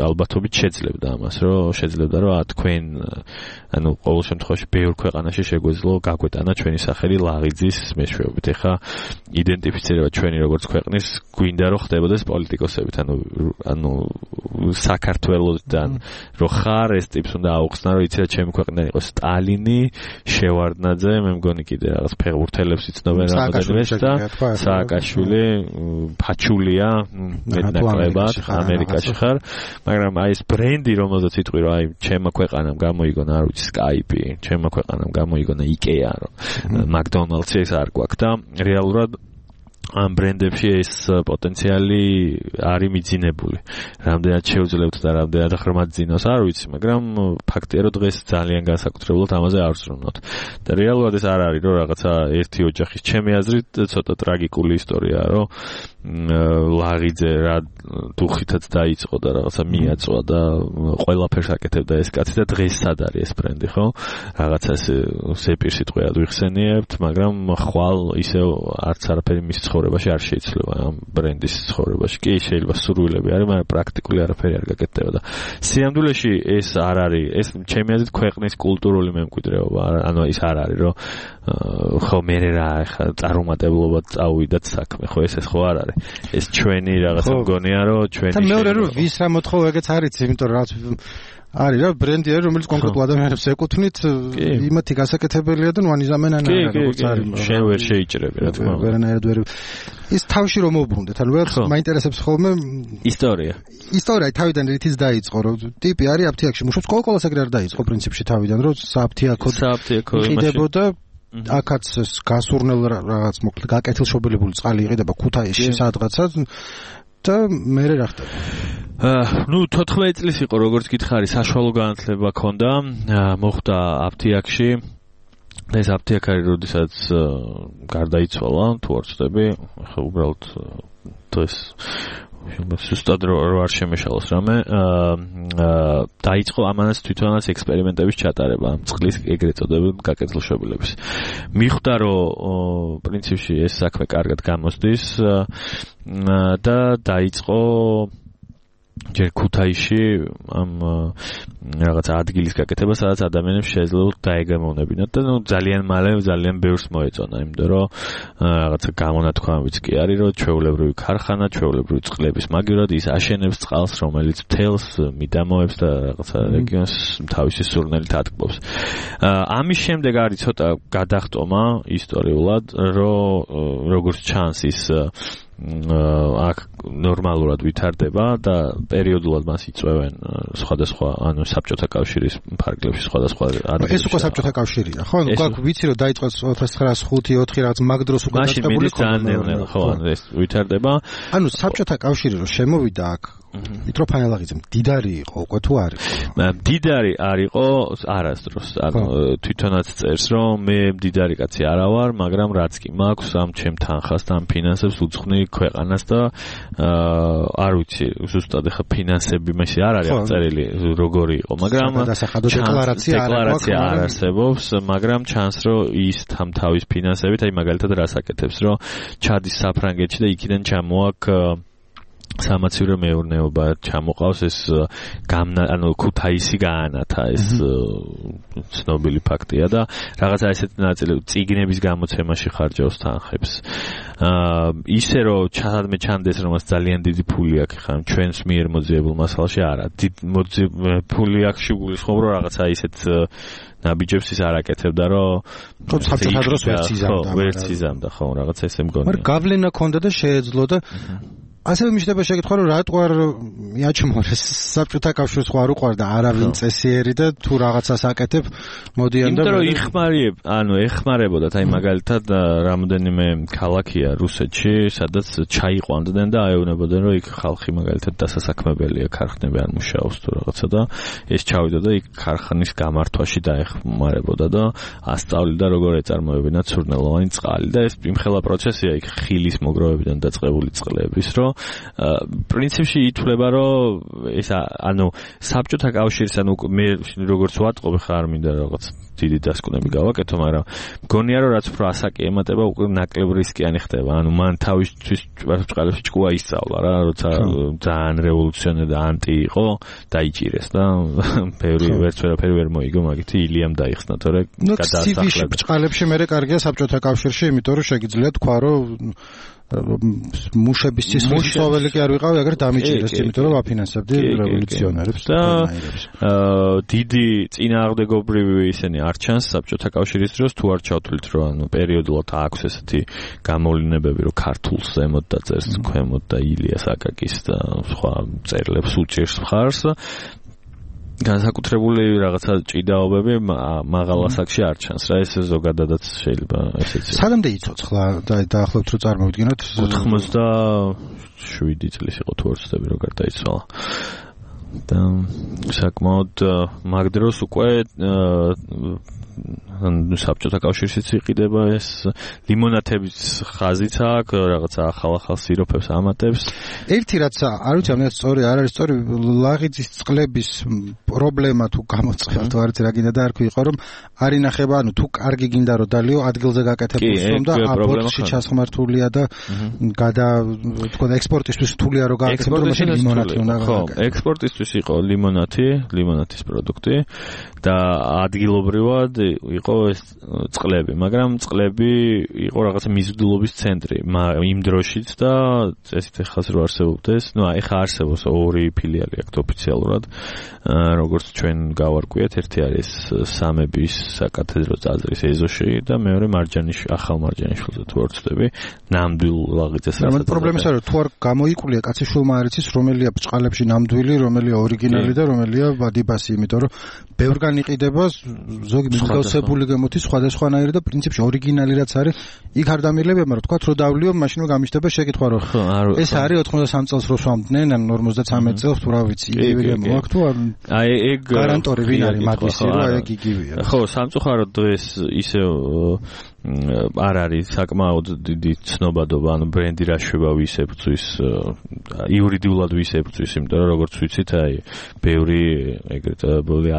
ალბათობით შეძლებდა ამას, რომ თქვენ ანუ ყოველ შემთხვევაში ბევრ ქვეყანაში შეგვეძლო გაგვეტანა ჩვენი სახელი ლაღიძის მეშვეობით. ეხა იდენტიფიცირება ჩვენი როგორც ქვეყნის გვინდა რომ ხდებოდეს პოლიტიკოსებით, ანუ საქართველოსთან რო ხარ ეს ტიპს უნდა აუხსნა, რომ იცი რა ჩემი ქვეყნიდან იყოს სტალინი, შევარდნაძე, მე მგონი კიდე რაღაც ფეხბურთელებს იცნობენ რამოდენმეს და სააკაშვილი, ფაჩულია, მეტნაკლებად ამერიკაში ხარ, მაგრამ აი ეს ბრენდი რომელზეც იტყვი რომ აი ჩემმა ქვეყანამ გამოიგონა არ ვიცი Skype, ჩემმა ქვეყანამ გამოიგონა IKEA, რომ McDonald's ეს არ გვაქვს და რეალურად ამ ბრენდებში ეს პოტენციალი არის მიძინებული. რამდენად შეუძლებთ და რამდენად ღრმად ძინავს არ ვიცი, მაგრამ ფაქტია რომ დღეს ძალიან განსაკუთრებულად ამაზე არ ვზრუნავთ. და რეალურად ეს არ არის რომ რაღაცა ერთი ოჯახის ჩემი აზრით ცოტა ტრაგიკული ისტორიაა, რომ ლაღიძე რა დუხითაც დაიწყო და რაღაცა მიაწვა და ყველაფერს აკეთებდა ეს კაცი და დღეს სად არის ეს ბრენდი, ხო? რაღაცას სეპირ სიტყვად ვიხსენიებთ, მაგრამ ხვალ ისე არც არაფერი მის ცხოვრებაში ცხოვრებაში არ შეიძლება ამ ბრენდის ცხოვრებაში კი შეიძლება სურვილები არის მაგრამ პრაქტიკული არაფერი არ გაკეთდება და სიამდვილეში ეს არ არის ეს ჩემი აზრით ქვეყნის კულტურული მემკვიდრეობა ანუ ის არ არის რომ ხო მე რა ხა წარუმატებლობა წავიდათ საქმე ხო ეს ხო არ არის ეს ჩვენი რაღაცა მგონია რომ ჩვენი და მეორე რომ ვის რა მოთხოვა ეგეც არის იმიტომ რომ რაც არის რა ბრენდი არის რომელიც კონკრეტულ ადამიანებს ეკუთვნით იმათი გასაკეთებელია და ნუ ანიზამენან როგორც არის შენ ვერ შეიჭრები რა თქმა უნდა ვერანაირად ვერ ის თავში რომ მოუბრუნდეთ ანუ ვერ მაინტერესებს ხოლმე ისტორია თავიდან რითიც დაიწყო რომ ტიპი არის აფთიაქში მუშაობს ყოველას ეგრე არ დაიწყო პრინციპში თავიდან რომ საფთიაქო იყიდებოდა აქაც გასურნელ რაღაც მოკლედ გაკეთილშობილებული წყალი იყიდება ქუთაისში სადღაცა და მე რა ხდება ნუ 14 წლის იყო როგორც გითხარი საშუალო განათლება ქონდა მოხდა აფთიაქში ეს აფთიაქარი როდესაც გარდაიცვალა თუ არ ვწდები ახლა უბრალოდ ეს სუსტად რო არ შემეშალოს რამე დაიწყო ამანაც თვითონაც ექსპერიმენტების ჩატარება წყლის ეგრეთ წოდებულ გაკეთილშობილების მიხვდა რომ პრინციპში ეს საქმე კარგად გამოსდის და დაიწყო ჯერ ქუთაისში ამ რაღაც ადგილის გაკეთება სადაც ადამიანებს შეეძლოთ დაეგემოვნებინათ და ნუ ძალიან მალე ძალიან ბევრს მოეწონა იმიტომ რომ რაღაცა გამონათქვამებიც კი არის რომ ჩვეულებრივი ქარხანა ჩვეულებრივი წყლების მაგივრად ის აშენებს წყალს რომელიც მთელს მიდამოებს და რაღაცა რეგიონს თავისი სურნელით ატკბობს ამის შემდეგ არის ცოტა გადახტომა ისტორიულად რომ როგორც ჩანს ის აქ ნორმალურად ვითარდება და პერიოდულად მას იწვევენ სხვადასხვა ანუ საბჭოთა კავშირის ფარგლებში სხვადასხვა ადგილებში ეს უკვე საბჭოთა კავშირია ხო ანუ გაკ ვიცი რომ დაიწყო 1905-4 რაღაც მაგ დროს უკვე დაწყებული ხო ხო ანუ ეს ვითარდება ანუ საბჭოთა კავშირი რომ შემოვიდა აქ მიტროფანელაღიძე მდიდარი იყო უკვე თუ არ იყო მდიდარი არ იყო არასდროს ანუ თვითონაც წერს რომ მე მდიდარი კაცი არა ვარ მაგრამ რაც კი მაქვს ამ ჩემ თანხას და ამ ფინანსებს უძღვნი ქვეყანას და არ ვიცი ზუსტად ახლა ფინანსები მასე არ არის აღწერილი როგორი იყო მაგრამ დეკლარაცია არ არსებობს მაგრამ ჩანს რომ ის თავის ფინანსებით აი მაგალითად რას აკეთებს რომ ჩადის საფრანგეთში და იქიდან ჩამოაქვს სამაცივრო მეურნეობა ჩამოყავს ეს ანუ ქუთაისი გაანათა ეს ცნობილი ფაქტია და რაღაცა ესეთი ნაწილი წიგნების გამოცემაში ხარჯავს თანხებს ისე რომ სადმე ჩანდეს რომ მას ძალიან დიდი ფული აქვს ხან ჩვენს მიერ მოძიებულ მასალაში არა ფული აქვს შეგულისხმობ რომ რაღაცა ისეთ ნაბიჯებს ის არ აკეთებდა რომ საბჭოთა დროს ვერც იზამდა ხო რაღაცა ესე მგონია მაგრამ გავლენა ქონდა და შეეძლო და ასევე მიშდება შეკითხვა რომ რატო არ მიაჩმორეს საბჭოთა კავშირს ხო არ უყვარდა არავინ წესიერი და თუ რაღაცას აკეთებ მოდიან და იმიტომ რომ ეხმარებოდათ აი მაგალითად რამოდენიმე ქალაქია რუსეთში სადაც ჩაიყვანდნენ და აეუბნებოდნენ რომ იქ ხალხი მაგალითად დასასაქმებელია ქარხნები არ მუშაობს თუ რაღაცა და ეს ჩავიდა და იქ ქარხნის გამართვაში დაეხმარებოდა და ასწავლიდა როგორ ეწარმოებინათ სურნელოვანი წყალი და ეს იმხელა პროცესია იქ ხილის მოგროვებიდან დაწყებული წყლების რომ პრინციპში ითვლება რომ ეს ანუ საბჭოთა კავშირის ანუ მე როგორც ვატყობ ხა არ მინდა რაღაც დიდი დასკვნები გავაკეთო მაგრამ მგონია რომ რაც უფრო ასაკი ემატება უკვე ნაკლებ რისკიანი ხდება ანუ მან თავისთვის წყალებში ჭკუა ისწავლა რა როცა ძალიან რევოლუციონერი და ანტი იყო დაიჭირეს და ბევრი ვერც ვერაფერი ვერ მოიგო მაგითი ილიამ დაიხსნა თორე გადაასახლება წყალებში მე კარგია საბჭოთა კავშირში იმიტომ რომ შეგიძლია თქვა რომ მუშების სისხლის სოველი კი არ ვიყავი, აგერ დამიჭირეს, იმიტომ რომ აფინანსებდი რევოლუციონერებს და დიდი წინააღმდეგობრივი ისინი არ ჩანს საბჭოთა კავშირის დროს თუ არ ჩავთვლით რომ ანუ პერიოდულად აქვს ესეთი გამოვლენებები რომ ქართულს ზემოთ დაწერს ქვემოთ და ილიას აკაკის და სხვა წერილებს უჭერს მხარს განსაკუთრებული რაღაცა ჭიდაობები მაღალ ასაკში არ ჩანს რა ეს ზოგადადაც შეიძლება ესეც სანამდე იცოცხლა და დაახლოებით რომ წარმოვიდგინოთ 87 წლის იყო თუ არ ვცდები რომ გარდაიცვალა და საკმაოდ მაგ დროს უკვე საბჭოთა კავშირშიც იყიდება ეს ლიმონათების ხაზიც აქვს, რაღაცა ახალ სიროფებს ამატებს. ერთი რაც არ ვიცი, ამას სწორი არ არის სწორი, ლაღიძის წყლების პრობლემა თუ გამოწყება თუ არც რა გინდა და არ ქვიყო რომ არ ინახება, ანუ თუ კარგი გინდა რომ დალიო ადგილზე გაკეთებულს რომ და აპორტში ჩასხმართულია და თქო და ექსპორტისთვის რთულია რომ გააკეთებოს, მაშინ ლიმონათი უნდა გააკეთოს. ხო, ექსპორტისთვის იყო ლიმონათის პროდუქტი და ადგილობრივად იყო ეს წყლები, მაგრამ წყლები იყო რაღაცა მიზიდულობის ცენტრი იმ დროშიც და წესით ეხლა რო არსებობდეს, ეხლა არსებობს ორი ფილიალი აქვს ოფიციალურად, როგორც ჩვენ გავარკვიეთ, ერთი არის სამების საკათედრო ტაძრის ეზოში და მეორე ახალ მარჯანიშვილზე თუ არ ვცდები, ნამდვილ ლაღიძეს. მაგრამ პრობლემაა რომ თუ არ გამოიკვლია კაციშვილმა არ იცის რომელია ბჭყალებში ნამდვილი, რომელია ორიგინალი და რომელია ვადიბასი, იმიტომ რომ ბევრგან იყიდება ზოგი მსგავსებული გამოდის სხვადასხვანაირი და პრინციპში ორიგინალი რაც არის იქ არ დამილება, მაგრამ თქვა რომ დავლიო, მაშინ გამიშტება შეკითხვა რომ ეს არის 83 წელს რო სვამდნენ, ან 53 წელს თუ რა ვიცი, იგივე გამოაქვს თუ აი ეგ გარანტორი ვინ არის მათისი, რომ ეგ იგივეა. ხო, სამწუხაროდ დღეს ისე არ არის საკმაოდ დიდი ცნობადობა, ანუ ბრენდი რაშვება ვისებწვის, იურიდიულად ვისებწვის, იმიტომ რომ როგორც ვიცით, აი ბევრი ეგრეთ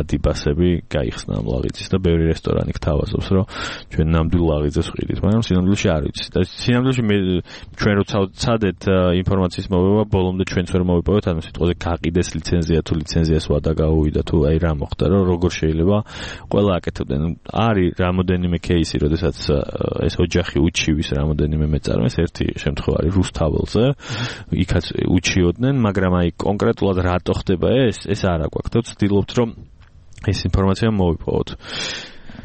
ადიბასები გაიხსნა ამ ლაღიძის და ბევრი რესტორანი გთავაზობს, რომ ჩვენ ნამდვილ ლაღიძეს ვყიდით, მაგრამ სინამდვილეში არ ვიცით. და სინამდვილეში ჩვენ როცა ვცადეთ ინფორმაციის მოვება, ბოლომდე ჩვენც ვერ მოვიპოვეთ, ანუ სიტყვაზე გაყიდეს ლიცენზია თუ ლიცენზიას ვადა გაუვიდა თუ აი რა მოხდა, რომ როგორ შეიძლება ყველა აკეთებდნენ. არის რამოდენიმე кейსი, როდესაც ეს ოჯახი უჩივის რამოდენიმე მეწარმეს, ერთი შემთხვევა არის რუსთაველზე, იქაც უჩიოდნენ, მაგრამ აი კონკრეტულად რატო ხდება ეს არა გვაქვს და ვცდილობთ რომ ეს ინფორმაცია მოვიპოვოთ.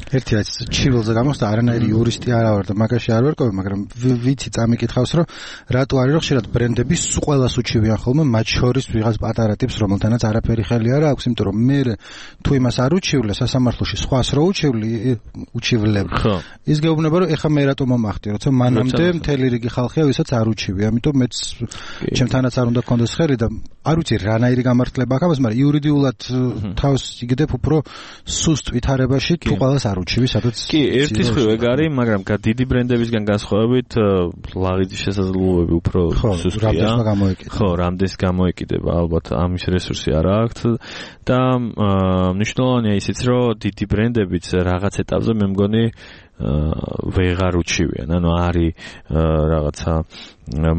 ერთი რაც ჩივილზე გამოსდა, არანაირი იურისტი არა ვარ და მაგაში არ ვერკოვე, მაგრამ ვიცი წამიკითხავს, რომ რატო არის რომ ხშირად ბრენდები ყველას უჩივიან ხოლმე, მათ შორის ვიღაც პატარა ტიპს, რომელთანაც არაფერი ხელი არ აქვს, იმიტომ რომ მე თუ იმას არ უჩივლე სასამართლოში, სხვას რო უჩივლებ. ის გეუბნება რომ ეხა მე რატო მომახდი, როცა მანამდე მთელი რიგი ხალხია, ვისაც არ უჩივი, ამიტომ მეც ჩემთანაც არ უნდა გქონდეს ხელი და არ ვიცი რანაირი გამართლება აქვს ამას, მაგრამ იურიდიულად თავს იგდებ უფრო სუსტ ვითარებაში თუ ყველას არ უჩივი, სადაც კი, ერთის ხრივ ეგ არის, მაგრამ დიდი ბრენდებისგან განსხვავებით ლაღიძის შესაძლებლობები უფრო სუსტია. ხო, რამდენს გამოეკიდება, ალბათ ამის რესურსი არ აქვს და მნიშვნელოვანია ისიც, რომ დიდი ბრენდებიც რაღაც ეტაპზე მე მგონი ვეღარ უჩივიან, ანუ არის რაღაცა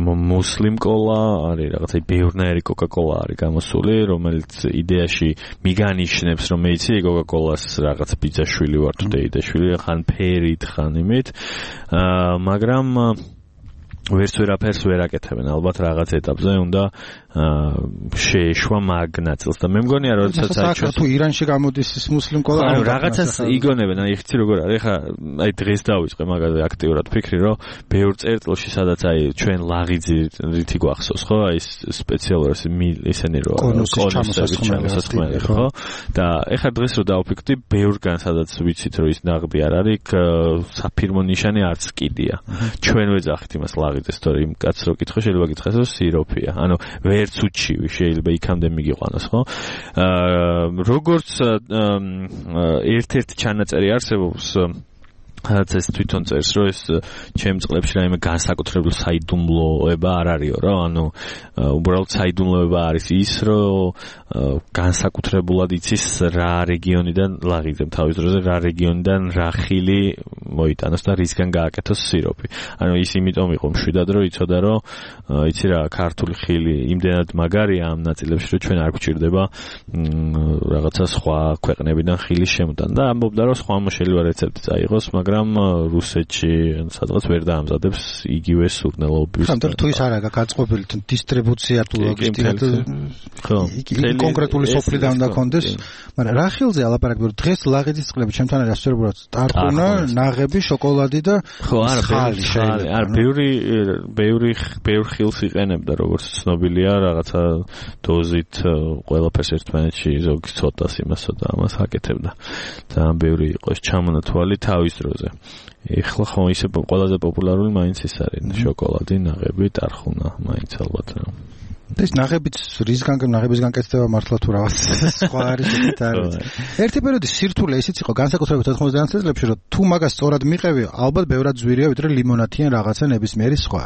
მუსლიმ კოლა, არის რაღაცა ბევრნაირი კოკა-კოლა არის გამოსული, რომელიც იდეაში მიგანიშნებს, რომ მე იცი კოკა-კოლას რაღაც ბიძაშვილი ვარ თუ დეიდაშვილი, ხან ფერით, ხან იმით, მაგრამ ვერც ვერაფერს ვერ აკეთებენ, ალბათ რაღაც ეტაპზე უნდა შეეშვა მაგ ნაწილს და მე მგონია რომ როდესაც აი თუ ირანში გამოდის ის მუსლიმ კოლა, ანუ რაღაცას იგონებენ, აი ხცი როგორ არის, ეხა აი დღეს დავიწყე მაგაზე აქტიურად ფიქრი, რომ ბევრ წერტილში სადაც აი ჩვენ ლაღიძი რითი გვახსოვს, ხო, აი სპეციალურად ისინი რო კონუსები, ხო? და ეხა დღეს რო დავფიქრდი, ბევრგან სადაც ვიცით რომ ის ნაღდი არ არის, საფირმო ნიშანი არც კიდია. ჩვენ ვეძახით იმას ლაღიძეს, თორე იმ კაცს რო კითხო, შეიძლება გითხრას რომ სიროფია. ანუ ვერც უჩივი, შეიძლება იქამდე მიგიყვანოს, ხო? როგორც ერთ-ერთი ჩანაწერი არსებობს, რაც ეს თვითონ წერს, რომ ეს ჩემ წყლებში რაიმე განსაკუთრებული საიდუმლოება არ არისო, რა, ანუ უბრალოდ საიდუმლოება არის ის, რომ განსაკუთრებულად იცის რა რეგიონიდან ლაღიძემ თავის დროზე რა რეგიონიდან რა ხილი მოიტანოს და რისგან გააკეთოს სიროპი. ანუ ის იმიტომ იყო მშვიდად, რომ იცოდა, რომ იცი რა, ქართული ხილი იმდენად მაგარია ამ ნაწილებში, რომ ჩვენ არ გვჭირდება რაღაცა სხვა ქვეყნებიდან ხილის შემოტანა და ამბობდა, რომ სხვა შეიძლება რეცეპტი წაიღოს, მაგრამ რუსეთში სადღაც ვერ დაამზადებს იგივე სურნელობის. ხანდარ თუ ის არ აქვს გაწყობილი დისტრიბუცია თუ ლოგისტიკა თუ კონკრეტული სოფლიდან უნდა კონდეს, მაგრამ რა ხილზე ალაპარაკები, რომ დღეს ლაღიძის წყლები ჩემთან არის ასწორებულად ტარტუნა, ნაღები, შოკოლადი და ხალი შეიძლება. არ ბევრ ხილს იყენებდა, როგორც ცნობილია, რაღაცა დოზით ყველაფერს ერთმანეთში ზოგი ცოტას იმასო და ამას აკეთებდა. ძალიან ბევრი იყო ეს ჩამონათვალი თავის დროზე. ეხლა ხო ისე ყველაზე პოპულარული მაინც ის არის შოკოლადი, ნაღები, ტარხუნა, მაინც ალბათ რა. ეს ნაღებიც ნაღების განკეთება მართლა თუ რაღაც სხვა არის ეგეთ არის. ერთი პერიოდი სირთულე ისიც იყო განსაკუთრებით 90-იან წლებში, რომ თუ მაგას სწორად მიყევი, ალბათ ბევრად ძვირია ვიდრე ლიმონათი ან რაღაცა ნებისმიერი სხვა.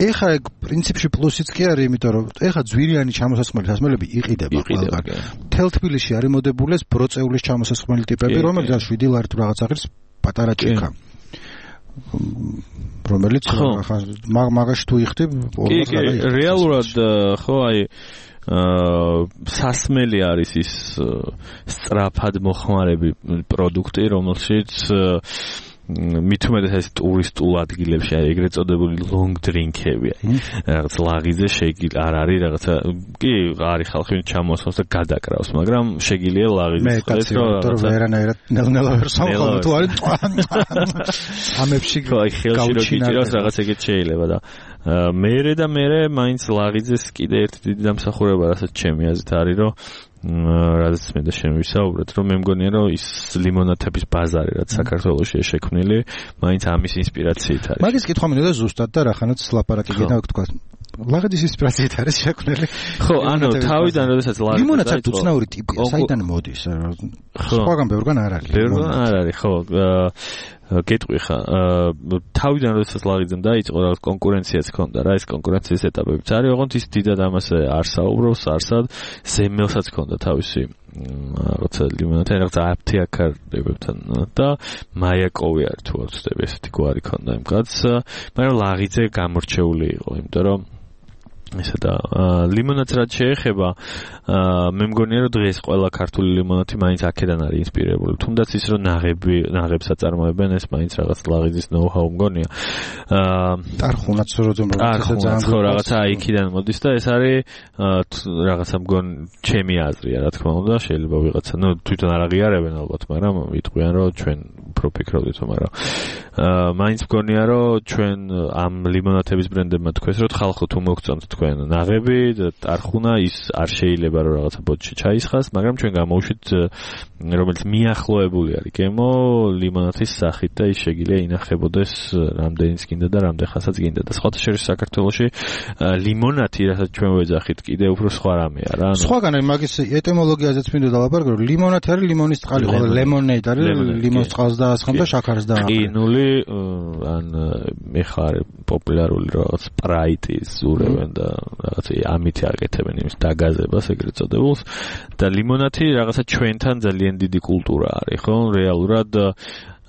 ეხლა ეგ პრინციპში პლუსიც კი არის, იმიტომ რომ ეხლა ძვირიანი ჩამოსასხმელი სასმელები იყიდება ყველგან. მთელ თბილისში არის მოდებული ეს ბროწეულის ჩამოსასხმელი ტიპები, რომელზეც 7 ლარი თუ რაღაც აღრის პატარა ჭიქა. რომელიც მაგაში თუ იხდი რეალურად ხო აი სასმელი არის ის სწრაფად მოხმარები პროდუქტი, რომელშიც მით უმეტეს ეს ტურისტულ ადგილებში აი ეგრეთ წოდებული long drink-ები აი რაღაც ლაღიზე არ არის რაღაცა კი არის ხალხი ჩამოსვავს და გადაკრავს, მაგრამ შეგიძლია ლაღიზე ხდეს რომ ვერანაირად ნელ-ნელა ვერ სამყარო თუ არის ამებში გავჩინოს რაღაც ეგეთ შეიძლება და მერე და მერე მაინც ლაღიძეს კიდე ერთი დიდი დამსახურება რასაც ჩემი აზრით არის რომ რადგან მე და შენ ვისაუბრეთ რომ მე მგონია რომ ის ლიმონათების ბაზარი რაც საქართველოშია შექმნილი მაინც ამის ინსპირაციით არის. მაგის კითხვა მინდოდა ზუსტად და რახანაც ლაპარაკი გინდა თქვა ლაღიძის ინსპირაციით არის შექმნილი. ხო, ანუ თავიდან როდესაც ლაღიძე ლიმონათი უცნაური ტიპია, საიდან მოდის? სხვაგან ბევრგან არ არის. ბევრგან არ არის, ხო. გეტყვი ხა თავიდან როდესაც ლაღიძემ დაიწყო რაღაც კონკურენციაც ჰქონდა რა ეს კონკურენციის ეტაპებიც არის ოღონდ ის დიდად ამაზე არ საუბრობს არსად ზემელსაც ჰქონდა თავისი რაღაცა ლიმონათი რაღაცა აფთიაქარებებთან და მაიაკოვი არის თუ არ ვცდები ესეთი გვარი ჰქონდა იმ კაცს მაგრამ ლაღიძე გამორჩეული იყო იმიტომ რომ ესა და ლიმონათს რაც შეეხება მე მგონია რომ დღეს ყველა ქართული ლიმონათი მაინც აქედან არის ინსპირირებული თუნდაც ის რომ ნაღებს აწარმოებენ ეს მაინც რაღაც ლაღიძის ნოუ-ჰაუ მგონია ტარხუნაც ხო რაღაცა იქიდან მოდის და ეს არის რაღაცა მგონ ჩემი აზრია რა თქმა უნდა შეიძლება ვიღაცა ნუ თვითონ არ აღიარებენ ალბათ მაგრამ იტყვიან რომ ჩვენ უფრო ფიქრობდით მაგრამ მაინც მგონია რომ ჩვენ ამ ლიმონათების ბრენდებმა თქვეს რომ ხალხო თუ მოგწონთ თქვენ ნაღები და ტარხუნა ის არ შეიძლება რომ რაღაცა ბოთში ჩაისხას, მაგრამ ჩვენ გამოვშვით რომელიც მიახლოებული არის გემო ლიმონათის სახით და ის შეგიძლია ინახებოდეს რამდენიც გინდა და რამდენხანსაც გინდა და სხვათა შორის საქართველოში ლიმონათი რასაც ჩვენ ვეძახით კიდე უფრო სხვა რამეა რა. სხვაგან აი მაგის ეტიმოლოგიაზეც მინდოდა ლაპარაკო რომ ლიმონათი არის ლიმონის წყალი, ხოლო ლემონეიდ არის ლიმონის წყალს დაასხამ და შაქარს დააყრა. ყინული ან ეხარ პოპულარული რაღაც სპრაიტი ზურევენ და რაღაცა ამით აკეთებენ იმის დაგაზებას ეგრეთ წოდებულს და ლიმონათი რაღაცა ჩვენთან ძალიან დიდი კულტურა არის ხო რეალურად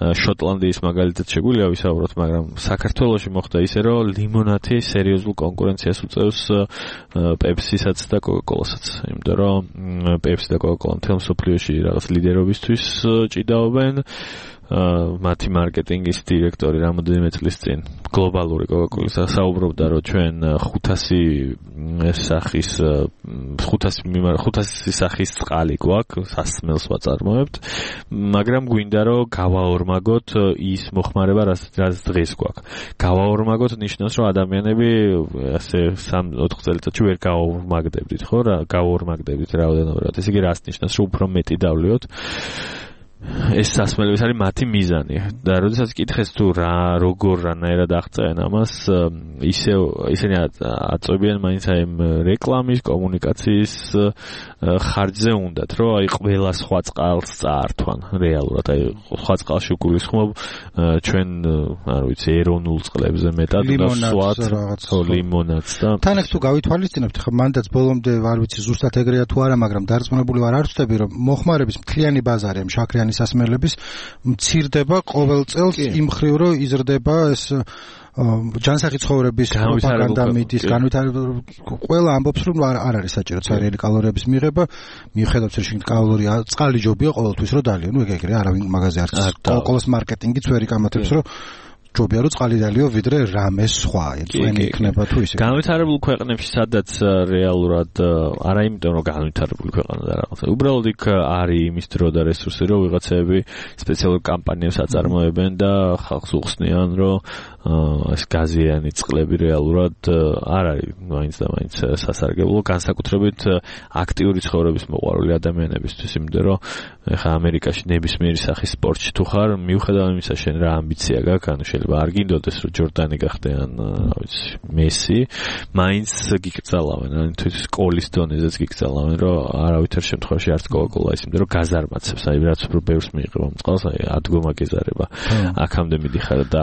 შოტლანდიის მაგალითად შეგვიძლია ვისაუბროთ მაგრამ საქართველოში მოხდა ისე რომ ლიმონათი სერიოზულ კონკურენციას უწევს პეპსისაც და კოკაკოლასაც იმიტომ რომ პეპსი და კოკაკოლა მთელ მსოფლიოში რაღაც ლიდერობისთვის ჭიდაობენ მათი მარკეტინგის დირექტორი რამოდენიმე წლის წინ გლობალური კოკაკოლის საუბრობდა რომ ჩვენ 500 სახის წყალი გვაქვს სასმელს ვაწარმოებთ მაგრამ გვინდა რომ გავაორმაგოთ ის მოხმარება რაც დღეს გვაქვს გავაორმაგოთ ნიშნავს რომ ადამიანები ასე 3-4 წელიწადში ვერ გავაორმაგდებდით ხო რა გავაორმაგდებდით რაოდენობრივად ესე იგი რას ნიშნავს რომ უფრო მეტი დავლიოთ ეს სასმელების არის მათი მიზანი და როდესაც კითხეს თუ როგორ რანაირად აღწევენ ამას ისინი აწვევიან მაინც აი რეკლამის კომუნიკაციის ხარჯზე უნდათ რომ აი ყველა სხვა წყალს წაართვან რეალურად აი სხვა წყალში გულისხმობ ჩვენ არ ვიცი ეროვნულ წყლებზე მეტად და სვათ ლიმონადს და თან აქ თუ გავითვალისწინებთ ხა მანდაც ბოლომდე არ ვიცი ზუსტად ეგრეა თუ არა მაგრამ დარწმუნებული ვარ არ ვწდები რომ მოხმარების მთლიანი ბაზარი ამ შაქრიანი სასმელების მცირდება ყოველ წელს იმ ხრივ რომ იზრდება ეს ჯანსაღი ცხოვრების პროპაგანდა მიდის განვითარებული ყველა ამბობს რომ არ არის საჭირო ცარიელი კალორიების მიღება მიუხედავად რომ კალორია წყალი ჯობია ყოველთვის რომ დალიო ნუ ეგრე არავინ მაგაზე არ კოკაკოლის მარკეტინგიც ვერ იკამათებს რომ ჯობია რომ წყალი დალიო ვიდრე რამე სხვა ეწვენი იქნება თუ ისე განვითარებულ ქვეყნებში სადაც რეალურად არა იმიტომ რომ განვითარებული ქვეყანა და რაღაცა უბრალოდ იქ არის იმის დრო და რესურსი რომ ვიღაცები სპეციალურ კამპანიებს აწარმოებენ და ხალხს უხსნიან რომ ეს გაზიანი წყლები რეალურად არ არის მაინც და მაინც სასარგებლო განსაკუთრებით აქტიური ცხოვრების მოყვარული ადამიანებისთვის იმიტომ რომ ეხა ამერიკაში ნებისმიერი სახის სპორტში თუ ხარ მიუხედავად იმისა შენ რა ამბიცია გაქვს ანუ შეიძლება არ გინდოდეს რომ ჯორდანი გახდნენ, რა ვიცი, მესი, მაინც გიკრძალავენ, ან თუ სკოლის დონეზეც გიკრძალავენ, რომ არავითარ შემთხვევაში არც კოკა-კოლა ის იმდენ რომ გაზარმაცებს, აი რაც უფრო ბევრს მიიღება მწყალს, აი ადგომა გეზარება. აქამდე მიდიხარ და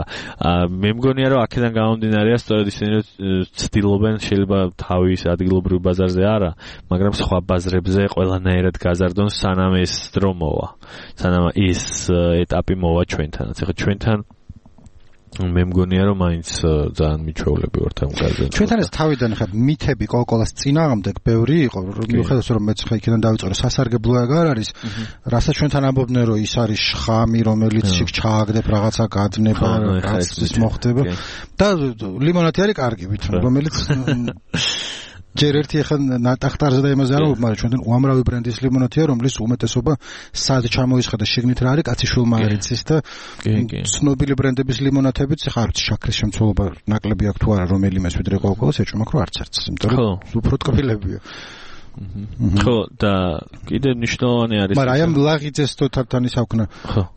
მე მგონია რომ აქედან გამომდინარეა სწორედ ისინი ცდილობენ შეიძლება თავის ადგილობრივ ბაზარზე არა, მაგრამ სხვა ბაზრებზე ყველანაირად გაზარდონ სანამ ეს დრო მოვა. სანამ ის ეტაპი მოვა ჩვენთანაც. ეხლა ჩვენთან მე მგონია რომ მაინც ძალიან მიჩვეულები ვართ ამ გაზრდაზე. ჩვენთან ეს თავიდან ხა მითები კოკა-კოლას წინააღმდეგ ბევრი იყო, მიუხედავად რომ მეც ხა იქიდან დავიწყე, სასარგებლო აღარ არის, რასაც ჩვენთან ამბობდნენ რომ ის არის შხამი, რომელიც იქ ჩააგდებ რაღაცა გადნება, რაც ის მოხდება და ლიმონადი არის კარგი ვითომ, რომელიც ჯერ ერთი ახლა ნატახტარზე და იმაზე არ ვუყმარ, ჩვენთან უამრავი ბრენდის ლიმონადია, რომლის უმეტესობა სად ჩამოისხა და შიგნით რა არის, კაცი შულმა არ იცის და ცნობილი ბრენდების ლიმონადებიც ახლა არც შაქრის შემცველობა ნაკლები აქვს თუ არა, რომელიმეს ვიდრე კოკა-კოლას ეჭვმაქ რომ არც არც, იმიტომ რომ უფრო ტკბილებია. ხო და კიდე მნიშვნელოვანი არის მაგრამ აი ამ ლაღიძეს თორთან ის აქვნა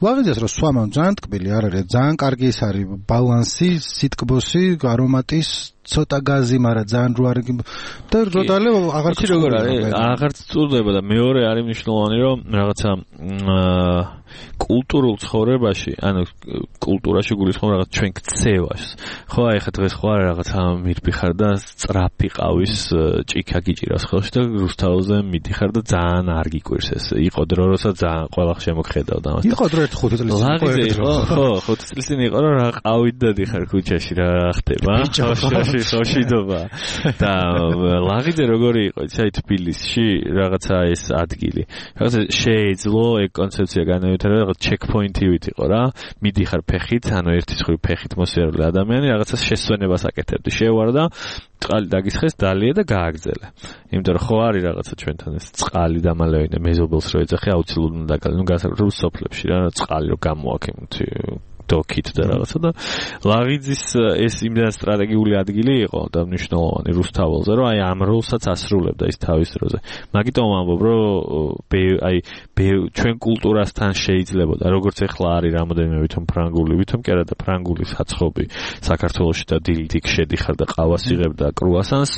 ლაღიძეს რომ სვამან ძალიან ტკბილი არ არის ძალიან კარგი ის არის ბალანსი სიტკბოსი არომატის ცოტა გაზი მაგრამ ძალიან რო არის და როდალე აღარ როგორ არის აღარ წურდება და მეორე არის მნიშვნელოვანი რომ რაღაცა კულტურულ ცხოვრებაში ანუ კულტურაში გულისხმობ რაღაც ჩვენ ქცევას ხო აი ხა დღეს ხო არა რაღაცა მირბიხარ და სწრაფი ყავის ჭიქა გიჭირავს ხელში და რუსთაველზე მიდიხარ და ძალიან არ გიკვირს ეს იყო დრო როცა ძალიან ყველა შემოგხედავდა ამას იყო დრო 5 წლის ხო 5 წლის წინ იყო რომ რა ყავით დადიხარ ქუჩაში რა ხდება ხოშიდობა და ლაღიძე როგორი იყო იცი აი თბილისში რაღაცა ეს ადგილი რაღაცა შეეძლო ეგ კონცეფცია განავითარა რაღაც ჩეკპოინტივით იყო რა მიდიხარ ფეხით ანუ ერთი ხრი ფეხით მოსიარულე ადამიანი რაღაცა შესვენებას აკეთებდი შევარდა წყალი დაგისხეს დალია და გააგზელე იმიტომ რომ ხო არის რაღაცა ჩვენთან ეს წყალი და მალევე მეზობელს რო ეძახი აუცილებლად უნდა დაგალე ნუ გასაკუთრებულ სოფლებში რა წყალი რო გამოაქვს დოკით და რაღაცა და ლაღიძის ეს იმდან სტრატეგიული ადგილი იყო და მნიშვნელოვანი რუსთაველზე რომ აი ამ როლსაც ასრულებდა ის თავის დროზე მაგიტომ ამბობ რომ აი ჩვენ კულტურასთან შეიძლებოდა როგორც ეხლა არის რამოდენიმე ვითომ ფრანგული ვითომ კი არა და ფრანგული საცხობი საქართველოში და დილით იქ შედიხარ და ყავას იღებ და კრუასანს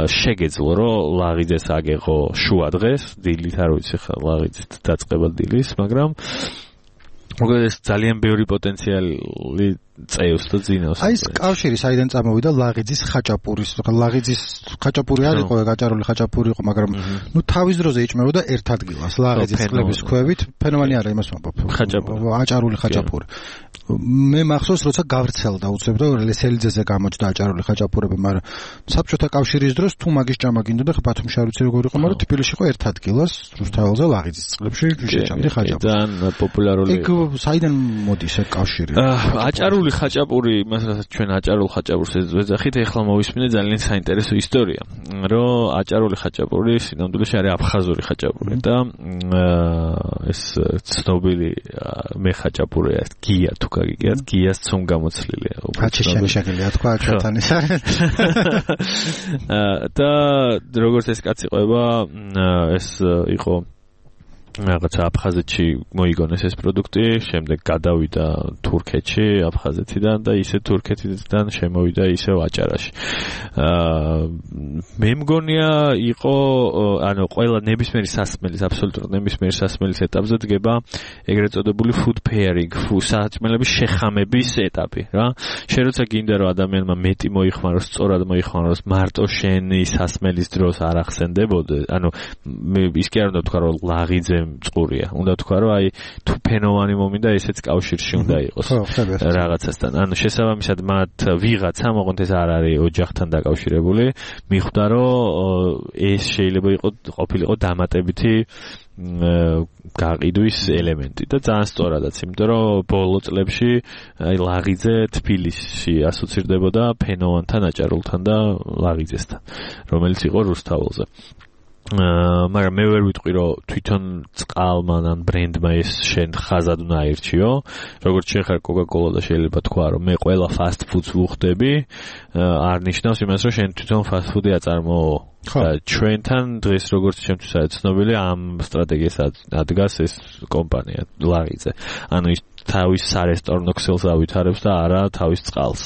შეგეძლო რომ ლაღიძეს აგეღო შუა დღეს დილით არ ვიცი ხა ლაღიძის დაწყება დილის მაგრამ მოგეთ ეს ძალიან ბევრი პოტენციალი წევს და ძინავს. აი ეს კავშირი საიდან წამოვიდა ლაღიძის ხაჭაპურის. ლაღიძის ხაჭაპური არ იყო, გაჭარული ხაჭაპური იყო, მაგრამ ნუ თავის დროზე იჭმებოდა ერთ ადგილას ლაღიძის წყლების ქვევით. ფენომენი არა იმას ვამბობ. ხაჭაპური. აჭარული ხაჭაპური. მე მახსოვს როცა გავრცელდა უცებდა ლესელიძეზე გამოჩნდა აჭარული ხაჭაპურები, მაგრამ საბჭოთა კავშირის დროს თუ მაგის ჭამა გინდოდა ხა ბათუმში არ ვიცი როგორ იყო, მაგრამ თბილისში იყო ერთ ადგილას რუსთაველზე ლაღიძის წყლებში შეჭამდი ხაჭაპური. ძალიან პოპულარული. ეგ საიდან მოდის ეგ კავშირი? აჭარული ხაჭაპური, მასაც ჩვენ აჭარულ ხაჭაპურს ვეძახით, ეხლა მოვისმინე ძალიან საინტერესო ისტორია, რომ აჭარული ხაჭაპური სინამდვილეში არის აფხაზური ხაჭაპური და ეს ცნობილი მე ხაჭაპურია გია თუ გაგიგიათ, გიას ცომ გამოცლილია. ხაჭიშანი შეგელია თქვა ჩვენთან ის არის. და როგორც ეს კაცი ყვება, ეს იყო რაღაცა აფხაზეთში მოიგონეს ეს პროდუქტი, შემდეგ გადავიდა თურქეთში, აფხაზეთიდან და ისე თურქეთიდან შემოვიდა ისევ აჭარაში. მე მგონია იყო, ანუ ყველა ნებისმიერი სასმელის, აბსოლუტურად ნებისმიერი სასმელის ეტაპზე დგება ეგრეთ წოდებული food pairing, საჭმელების შეხამების ეტაპი, რა. შენ როცა გინდა რომ ადამიანმა მეტი მოიხმაროს, სწორად მოიხმაროს, მარტო შენი სასმელის დროს არ ახსენდებოდეს, ანუ ის კი არ უნდა თქვა რომ ლაღიძე წყურია. უნდა თქვა რომ აი თუ ფენოვანი მომინდა ესეც კავშირში უნდა იყოს რაღაცასთან. ანუ შესაბამისად მათ ვიღაცა მოყოთ ეს არ არის ოჯახთან დაკავშირებული, მიხვდა რომ ეს შეიძლება ყოფილიყო დამატებითი გაყიდვის ელემენტი და ძალიან სწორადაც, იმიტომ რომ ბოლო წლებში აი ლაღიძე თბილისში ასოცირდებოდა ფენოვანთან, აჭარულთან და ლაღიძესთან, რომელიც იყო რუსთაველზე. მაგრამ მე ვერ ვიტყვი რომ თვითონ წყალმა ან ბრენდმა ეს შენ ხაზად უნდა აირჩიო როგორც შეხარ Coca-Cola და შეიძლება თქვა რომ მე ყველა fast food-ს ვუხდები არ ნიშნავს იმას რომ შენ თვითონ fast food-ი აწარმოო და ჩვენთან დღეს როგორც ჩემთვის არის ცნობილი ამ სტრატეგიას ადგას ეს კომპანია ლაღიძე ანუ ის თავის სარესტორნო ქსელს ავითარებს და არა თავის წყალს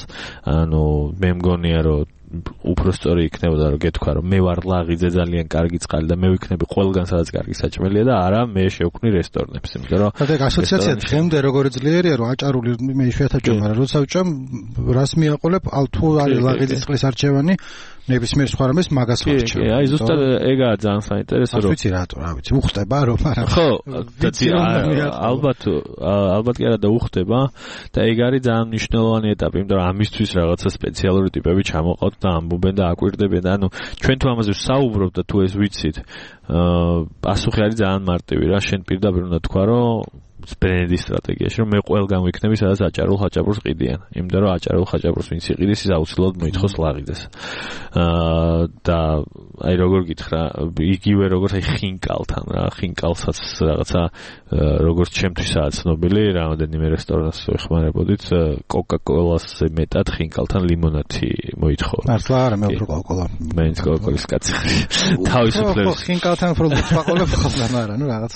ანუ მე მგონია რომ უფრო სწორი იქნებოდა რომ გეთქვა რომ მე ვარ ლაღიძე ძალიან კარგი წყალი და მე ვიქნები ყველგან სადაც კარგი საჭმელია და არა მე შევქმნი რესტორნებს იმიტომ რომ და ასოციაცია დღემდე როგორი ძლიერია რომ აჭარული მე იშვიათად ვჭამ მაგრამ როცა ვჭამ რას მიაყოლებ თუ არის ლაღიძის წყლის არჩევანი ნებისმიერ სხვა რამეს მაგას ვარჩევ. აი ზუსტად ეგაა ძალიან საინტერესო რომ ვიცი რატო რა ვიცი უხდება რომ არა ხო ალბათ კი არა და უხდება და ეგ არის ძალიან მნიშვნელოვანი ეტაპი იმიტომ რომ ამისთვის რაღაცა სპეციალური ტიპები ჩამოყავთ და ამბობენ და აკვირდებენ და ანუ ჩვენ თუ ამაზე ვსაუბრობთ და თუ ეს ვიცით პასუხი არის ძალიან მარტივი რა შენ პირდაპირ უნდა თქვა რომ ბრენდის სტრატეგიაში რომ მე ყველგან ვიქნები სადაც აჭარულ ხაჭაპურს ყიდიან იმიტომ რომ აჭარულ ხაჭაპურს ვინც იყიდის ის აუცილებლად მოითხოვს ლაღიძეს და აი როგორ გითხრა იგივე როგორც აი ხინკალთან რა ხინკალსაც რაღაცა როგორც ჩემთვისაა ცნობილი რამოდენიმე რესტორანს ვეხმარებოდით Coca-Cola-ს მეტად ხინკალთან ლიმონადი მოითხოვა მართლა არა მე უფრო Coca-Cola მეც Coca-Cola-ის კაცი თავისუფლების ხინკალთან უფრო ვაყოლებ ხოლმე მაგრამ რაღაც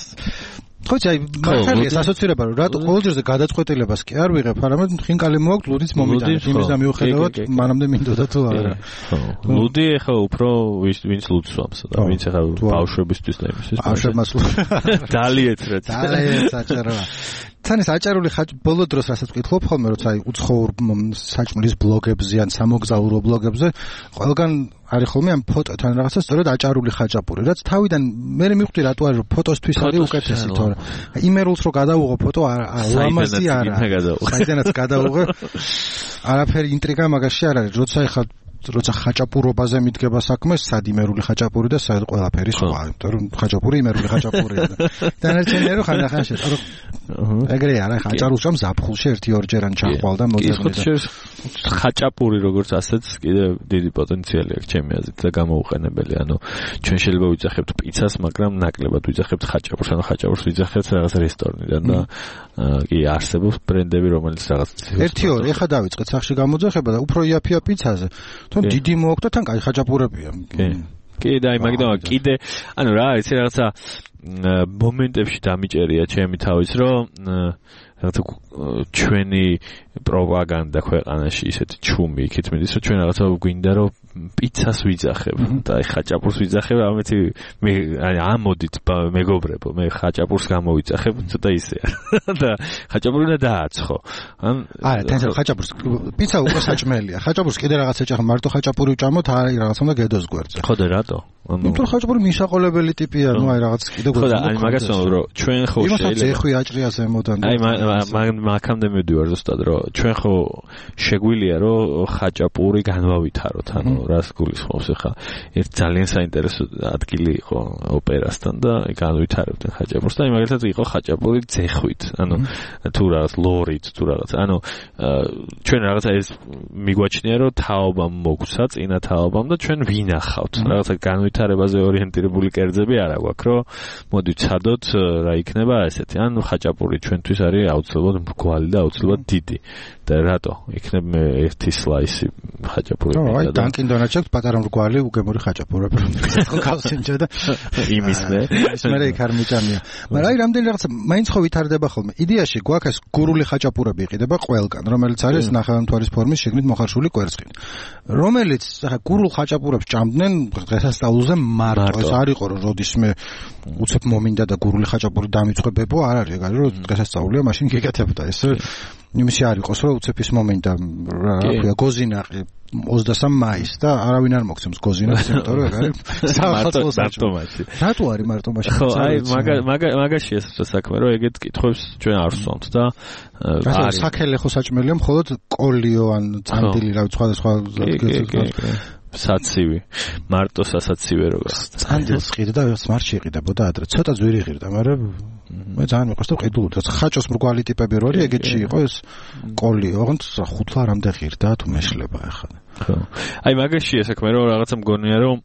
ხოჭი აი მართალია ასოცირება რომ რატო ყოველჯერზე გადაწყვეტილებას კი არ ვიღებ არამედ ხინკალი მოაქვს ლუდიც მომიტანეთ იმის და მიუხედავად მანამდე მინდოდა თუ არა ლუდი ახლა უფრო ვინც ლუდს ვამს და ვინც ახლა ბავშვებისთვის და იმისთვის ბავშვებმაც დალიეთ რა დალიეთ საჭიროა თანის აჭარული ბოლო დროს რასაც ვკითხულობ ხოლმე როცა აი უცხოურ საჭმლის ბლოგებზე ან სამოგზაურო ბლოგებზე ყველგან არის ხოლმე ამ ფოტოთან რაღაცა სწორედ აჭარული ხაჭაპური რაც თავიდან მე მივხვდი რატო არის რომ ფოტოსთვის არის უკეთესი თორე იმერულს რო გადავუღო ფოტო ლამაზი არა საიდანაც გადავუღე არაფერი ინტრიგა მაგაში არ არის როცა ხაჭაპურობაზე მიდგება საქმე სად იმერული ხაჭაპური და სად ყველაფერი სხვა იმიტომ რომ ხაჭაპური იმერული ხაჭაპურია და დანარჩენია რომ ხანდახან შეწყო ეგრე არა ხაჭაპურს ამ ზაფხულში 1-2 ჯერან ჩახვალ და მოძებნიდა ხაჭაპური როგორც ასეც კიდე დიდი პოტენციალი აქვს ჩემი აზრით და გამოუყენებელი ანუ ჩვენ შეიძლება ვიძახებთ პიცას მაგრამ ნაკლებად ვიძახებთ ხაჭაპურს ანუ ხაჭაპურს ვიძახებთ რაღაც რესტორნიდან და კი არსებობს ბრენდები რომელიც რაღაც 1-2 ეხა დავიწყეთ სახში გამოძახება და უფრო იაფია პიცაზე თან დიდი მოაქვს და თან კაი ხაჭაპურებია კი და აი მაგდამა კიდე ანუ რა არის რაღაცა მომენტებში დამიჭერია ჩემი თავის რომ რაღაცა ჩვენი პროპაგანდა ქვეყანაში ისეთი ჩუმი იქით მიდის რომ ჩვენ რაღაცა გვინდა რომ პიცას ვიძახებ და აი ხაჭაპურს ვიძახებ ამეთი მე ამოდით მეგობრებო მე ხაჭაპურს გამოვიძახებ ცოტა ისეა და ხაჭაპური უნდა დააცხო არა თან ხაჭაპურს პიცა უკვე საჭმელია ხაჭაპურს კიდე რაღაც ეჭახა მარტო ხაჭაპური ვჭამოთ არა რაღაც უნდა გედოს გვერდზე ხო და რატო იმიტომ ხაჭაპური მისაყოლებელი ტიპია ნუ აი რაღაც კიდე ხო და აი მაგას რომ ჩვენ ხო შეიძლება ეხვი აჭრია ზემოდან აი მაგამდე მივდივარ ზუსტად რომ ჩვენ ხო შეგვილია რომ ხაჭაპური განვავითაროთ ანუ რას გულისხმობს ახლა ერთ ძალიან საინტერესო ადგილი იყო ოპერასთან და განვითარებდნენ ხაჭაპურს და მაგალითად იყო ხაჭაპური ძეხვით ანუ თუ რაღაც ლორით თუ რაღაც ანუ ჩვენ რაღაცა ეს მიგვაჩნია რომ თაობამ მოგვცა წინა თაობამ და ჩვენ ვინახავთ რაღაცა განვითარებაზე ორიენტირებული კერძები არა გვაქვს რომ მოდი ვცადოთ რა იქნება ესეთი ანუ ხაჭაპური ჩვენთვის არის აუცილებლად მრგვალი და აუცილებლად დიდი და რატო იქნებ მე ერთი სლაისი ხაჭაპური აი დანკინ დონატს აქვს პატარა მრგვალი უგემური ხაჭაპურები ხო გავსინჯა და იმისნე მე იქ არ მიჭამია მაგრამ აი რამდენი რაღაცა მაინც ხო ვითარდება ხოლმე იდეაში გვაქვს გურული ხაჭაპურები იყიდება ყველგან რომელიც არის ნახევარმთვარის ფორმის შიგნით მოხარშული კვერცხით რომელიც ახლა გურულ ხაჭაპურებს ჭამდნენ დღესასწაულზე მარტო ეს არ იყო რომ როდისმე უცებ მომინდა და გურული ხაჭაპური დამიწყებებო არ არის ეგ არის რომ დღესასწაულია მაშინ გეკეთებდა ეს იმისი არ იყოს რომ უცებ ის მომინდა რა ქვია გოზინაყი 23 მაისს და არავინ არ მოგცემს გოზინას იმიტომ რომ ეგ არის მარტო მარტომაში რატო არის მარტომაში ხო აი მაგაშია ეს საქმე რომ ეგეთ კითხვებს ჩვენ არ ვსვამთ და არის საქელე ხო საჭმელია მხოლოდ კოლიო ან წანდილი რა სხვა საცივი მარტო სასაცივე როგორც წანდილს ყიდა და სმარტში იყიდებოდა ადრე ცოტა ძვირი ღირდა მაგრამ მე ძალიან მიყვარს და ყიდულობდა ხაჭოს მრგვალი ტიპები რო არის ეგეთში იყო ეს კოლიო ოღონდ ხუთლა რამდენ ღირდა თუ მეშლება ახლა ხო აი მაგაშია საქმე რომ რაღაცა მგონია რომ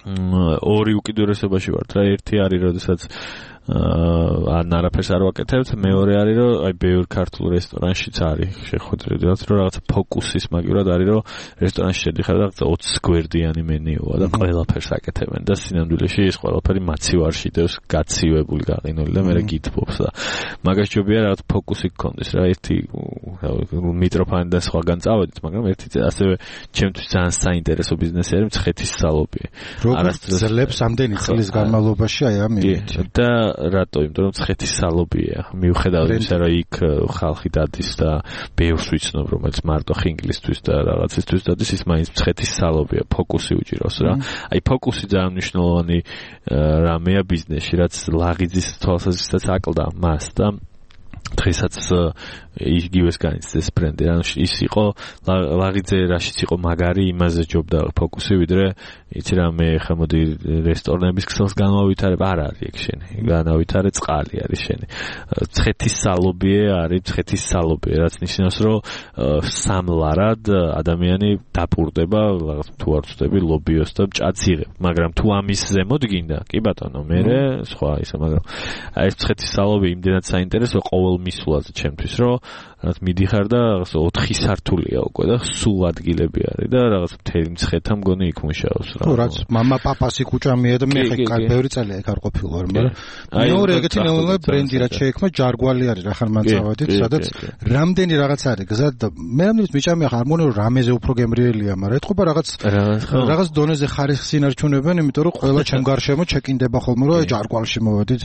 ორი უკიდურესობაში ვართ რა ერთი არის როდესაც ან არაფერს არ ვაკეთებთ მეორე არის რომ აი ბევრ ქართულ რესტორანშიც არის შეხვედრებად რომ რაღაცა ფოკუსის მაგივრად არის რომ რესტორანში შედიხარ და რაღაცა 20 გვერდიანი მენიუა და ყველაფერს აკეთებენ და სინამდვილეში ეს ყველაფერი მაცივარში დევს გაცივებული გაყინული და მე გითბობს და მაგას ჯობია რაღაც ფოკუსი გქონდეს რა ერთი მიტროფანი და სხვაგან წავედით მაგრამ ერთი ასევე ჩემთვის ძალიან საინტერესო ბიზნესი არის მცხეთის სალობი არასდროს ძლებს ამდენი წლის განმავლობაში აი ამით და რატო? იმიტომ რომ მცხეთის სალობია. მიუხედავად იმისა, რომ იქ ხალხი დადის და ბევრს ვიცნობ, რომელიც მარტო ხინგლისთვის და რაღაცისთვის დადის, ის მაინც მცხეთის სალობია, ფოკუსი უჭირავს რა. აი ფოკუსი ძალიან მნიშვნელოვანი რამეა ბიზნესში, რაც ლაღიძის თვალსაზრისითაც აკლდა მას და დღესაც იგივეს განიცდის ბრენდი. ანუ ის იყო ლაღიძე რაშიც იყო მაგარი, იმაზე ჯობდა ფოკუსი, ვიდრე იცი რა მე ხა მოდი რესტორნების ქსელს განავითარებ, არ არის ეგ შენი. განავითარე წყალი არის შენი. მცხეთის სალობიე არის, მცხეთის სალობიე, რაც ნიშნავს, რომ სამლარად ადამიანი დაპურდება, რაღაც თუ არ ვწდები ლობიოს და ჭაც იღებ. მაგრამ თუ ამის ზემოთ გინდა, კი ბატონო, მე სხვა ისა, მაგრამ აი ეს მცხეთის სალობი იმდენად საინტერესო ყოველ მისვლაზე ჩემთვის, რომ რაღაც მიდიხარ და რაღაც 4 სართულია უკვე და სულ ადგილები არის და რაღაც მთელი მცხეთა მგონი იქ მუშაობს რა. ხო, რაც мама папаси კუჭამია და მე ხე ბევრი წელია იქ არ ყოფილვარ, მაგრამ მეორე ეგეთი ნეონები ბრენდი რაც შეექმნა ჯარგვალი არის რა ხან მანწავადით, სადაც რამდენი რაღაც არის გზად და მე ამის მიჭამია ხარ მგონი რომ რამეზე უფრო გემრიელია, მაგრამ ეთყობა რაღაც დონეზე ხარისხს ინარჩუნებენ, იმიტომ რომ ყველა ჩემ გარშემო ჩეკინდება ხოლმე რომ ჯარგვალში მოვედით.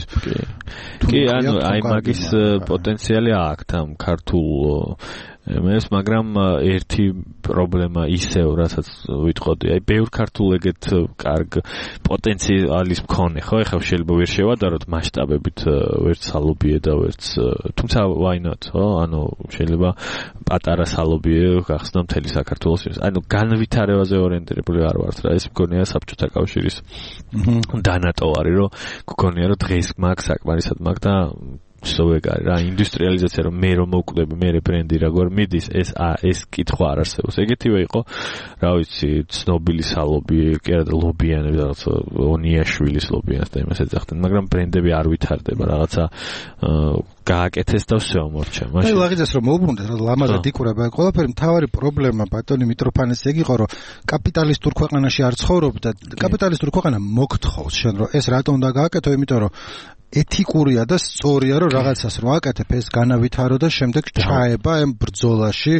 კი, ანუ აი მაგის პოტენციალი აქვს ამ ქართულ მეს მაგრამ ერთი პრობლემა ისევ რასაც ვიტყოდი აი ბევრ ქართულ ეგეთ კარგ პოტენციალის მქონე ხო ეხლა შეიძლება ვერ შევადაროთ მასშტაბებით ვერც სალობიე და ვერც თუმცა why not ხო ანუ შეიძლება პატარა სალობიე გახსნა მთელი საქართველოს ანუ განვითარებაზე ორიენტირებული არ ვართ რა ეს მგონია საბჭოთა კავშირის დანატოვარი რომ გქონია რომ დღეს მაგ საკმარისად მაგ და სოვეგარი რა ინდუსტრიალიზაცია რომ მე რომ მოვკვდები მე ბრენდი როგორ მიდის ეს კითხვა არ არსებობს ეგეთივე იყო რა ვიცი ცნობილი სალობი კი არა ლობიანები რაღაც ონიაშვილის ლობიანს და იმას ეძახდნენ მაგრამ ბრენდები არ ვითარდება რაღაცა გააკეთეს და всё მორჩა მაშინ აი ლაღიძეს რომ მოუბრუნდეთ რა ლამაზად იკურება ყველაფერი მთავარი პრობლემა ბატონი მიტროფანეს ეგ იყო რომ კაპიტალისტურ ქვეყანაში არ ცხოვრობ და კაპიტალისტურ ქვეყანა მოგთხოვს შენ რომ ეს რატომ უნდა გააკეთო იმიტომ რომ ეთიკურია და სწორია რომ რაღაცას რომ აკეთებ ეს განავითარო და შემდეგ ჩაება ამ ბრძოლაში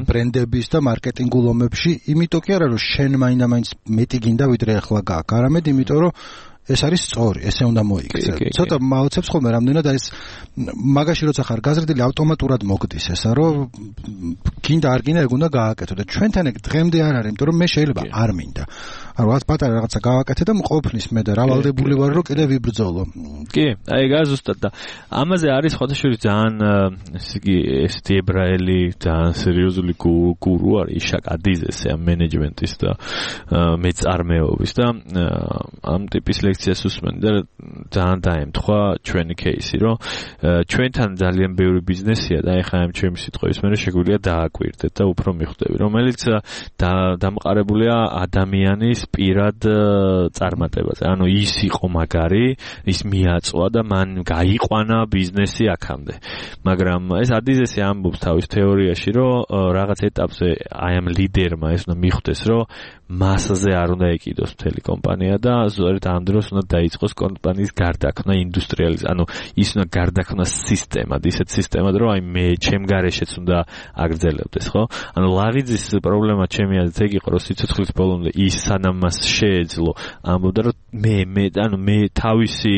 ბრენდების და მარკეტინგულ ომებში იმიტომ კი არა რომ შენ მაინდა-მაინც მეტი გინდა ვიდრე ახლა გააკ არამედ იმიტომ რომ ეს არის სწორი, ესე უნდა მოიქცე. ცოტა მაოცებს ხოლმე რამდენად არის მაგაში როცა ხარ გაზრდილი ავტომატურად მოგდის ესა რომ გინდა არ გინდა ეგ უნდა გააკეთო და ჩვენთან ეგ დღემდე არ არის, იმიტომ რომ მე შეიძლება არ მინდა. ანუ რაღაც პატარა რაღაცა გავაკეთე და მყოფნის მე და რა ვალდებული ვარ რომ კიდე ვიბრძოლო. კი, აი გაზუსტად და ამაზე არის ხოთაშური ძალიან ესე იგი ესეთი ებრაელი ძალიან სერიოზული გურუ არის იშაკ ადიზესი ამ მენეჯმენტის და მეწარმეობის და ამ ტიპის ლექციას უსმენდი და ძალიან დაემთხვა ჩვენი кейსი რომ ჩვენთან ძალიან ბევრი ბიზნესია და ეხლა ამ ჩემი სიტყვის მე შეგვიძლია დააკვირდეთ და უფრო მიხვდები რომელიც დამყარებულია ადამიანის პირად წარმატებაზე. ანუ ის იყო მაგარი, ის მიაწვა და მან გაიყვანა ბიზნესი აქამდე. მაგრამ ეს ადიზესი ამბობს თავის თეორიაში, რომ რაღაც ეტაპზე აი ამ ლიდერმა ეს უნდა მიხვდეს, რომ მასაზე არ უნდა ეკიდოს მთელი კომპანია და ზოგადად ამ დროს უნდა დაიწყოს კომპანიის გარდაქმნა ინდუსტრიალიზაცია. ანუ ის უნდა გარდაქმნას სისტემად, ისეთ სისტემად, რომ აი მე ჩემ გარეშეც უნდა აგრძელებდეს, ხო? ანუ ლაღიძის პრობლემა ჩემი აზრით ეგ იყო, რომ სიცოცხლის ბოლომდე ის სანამ მას შეეძლო, ამბობდა, რომ მე თავისი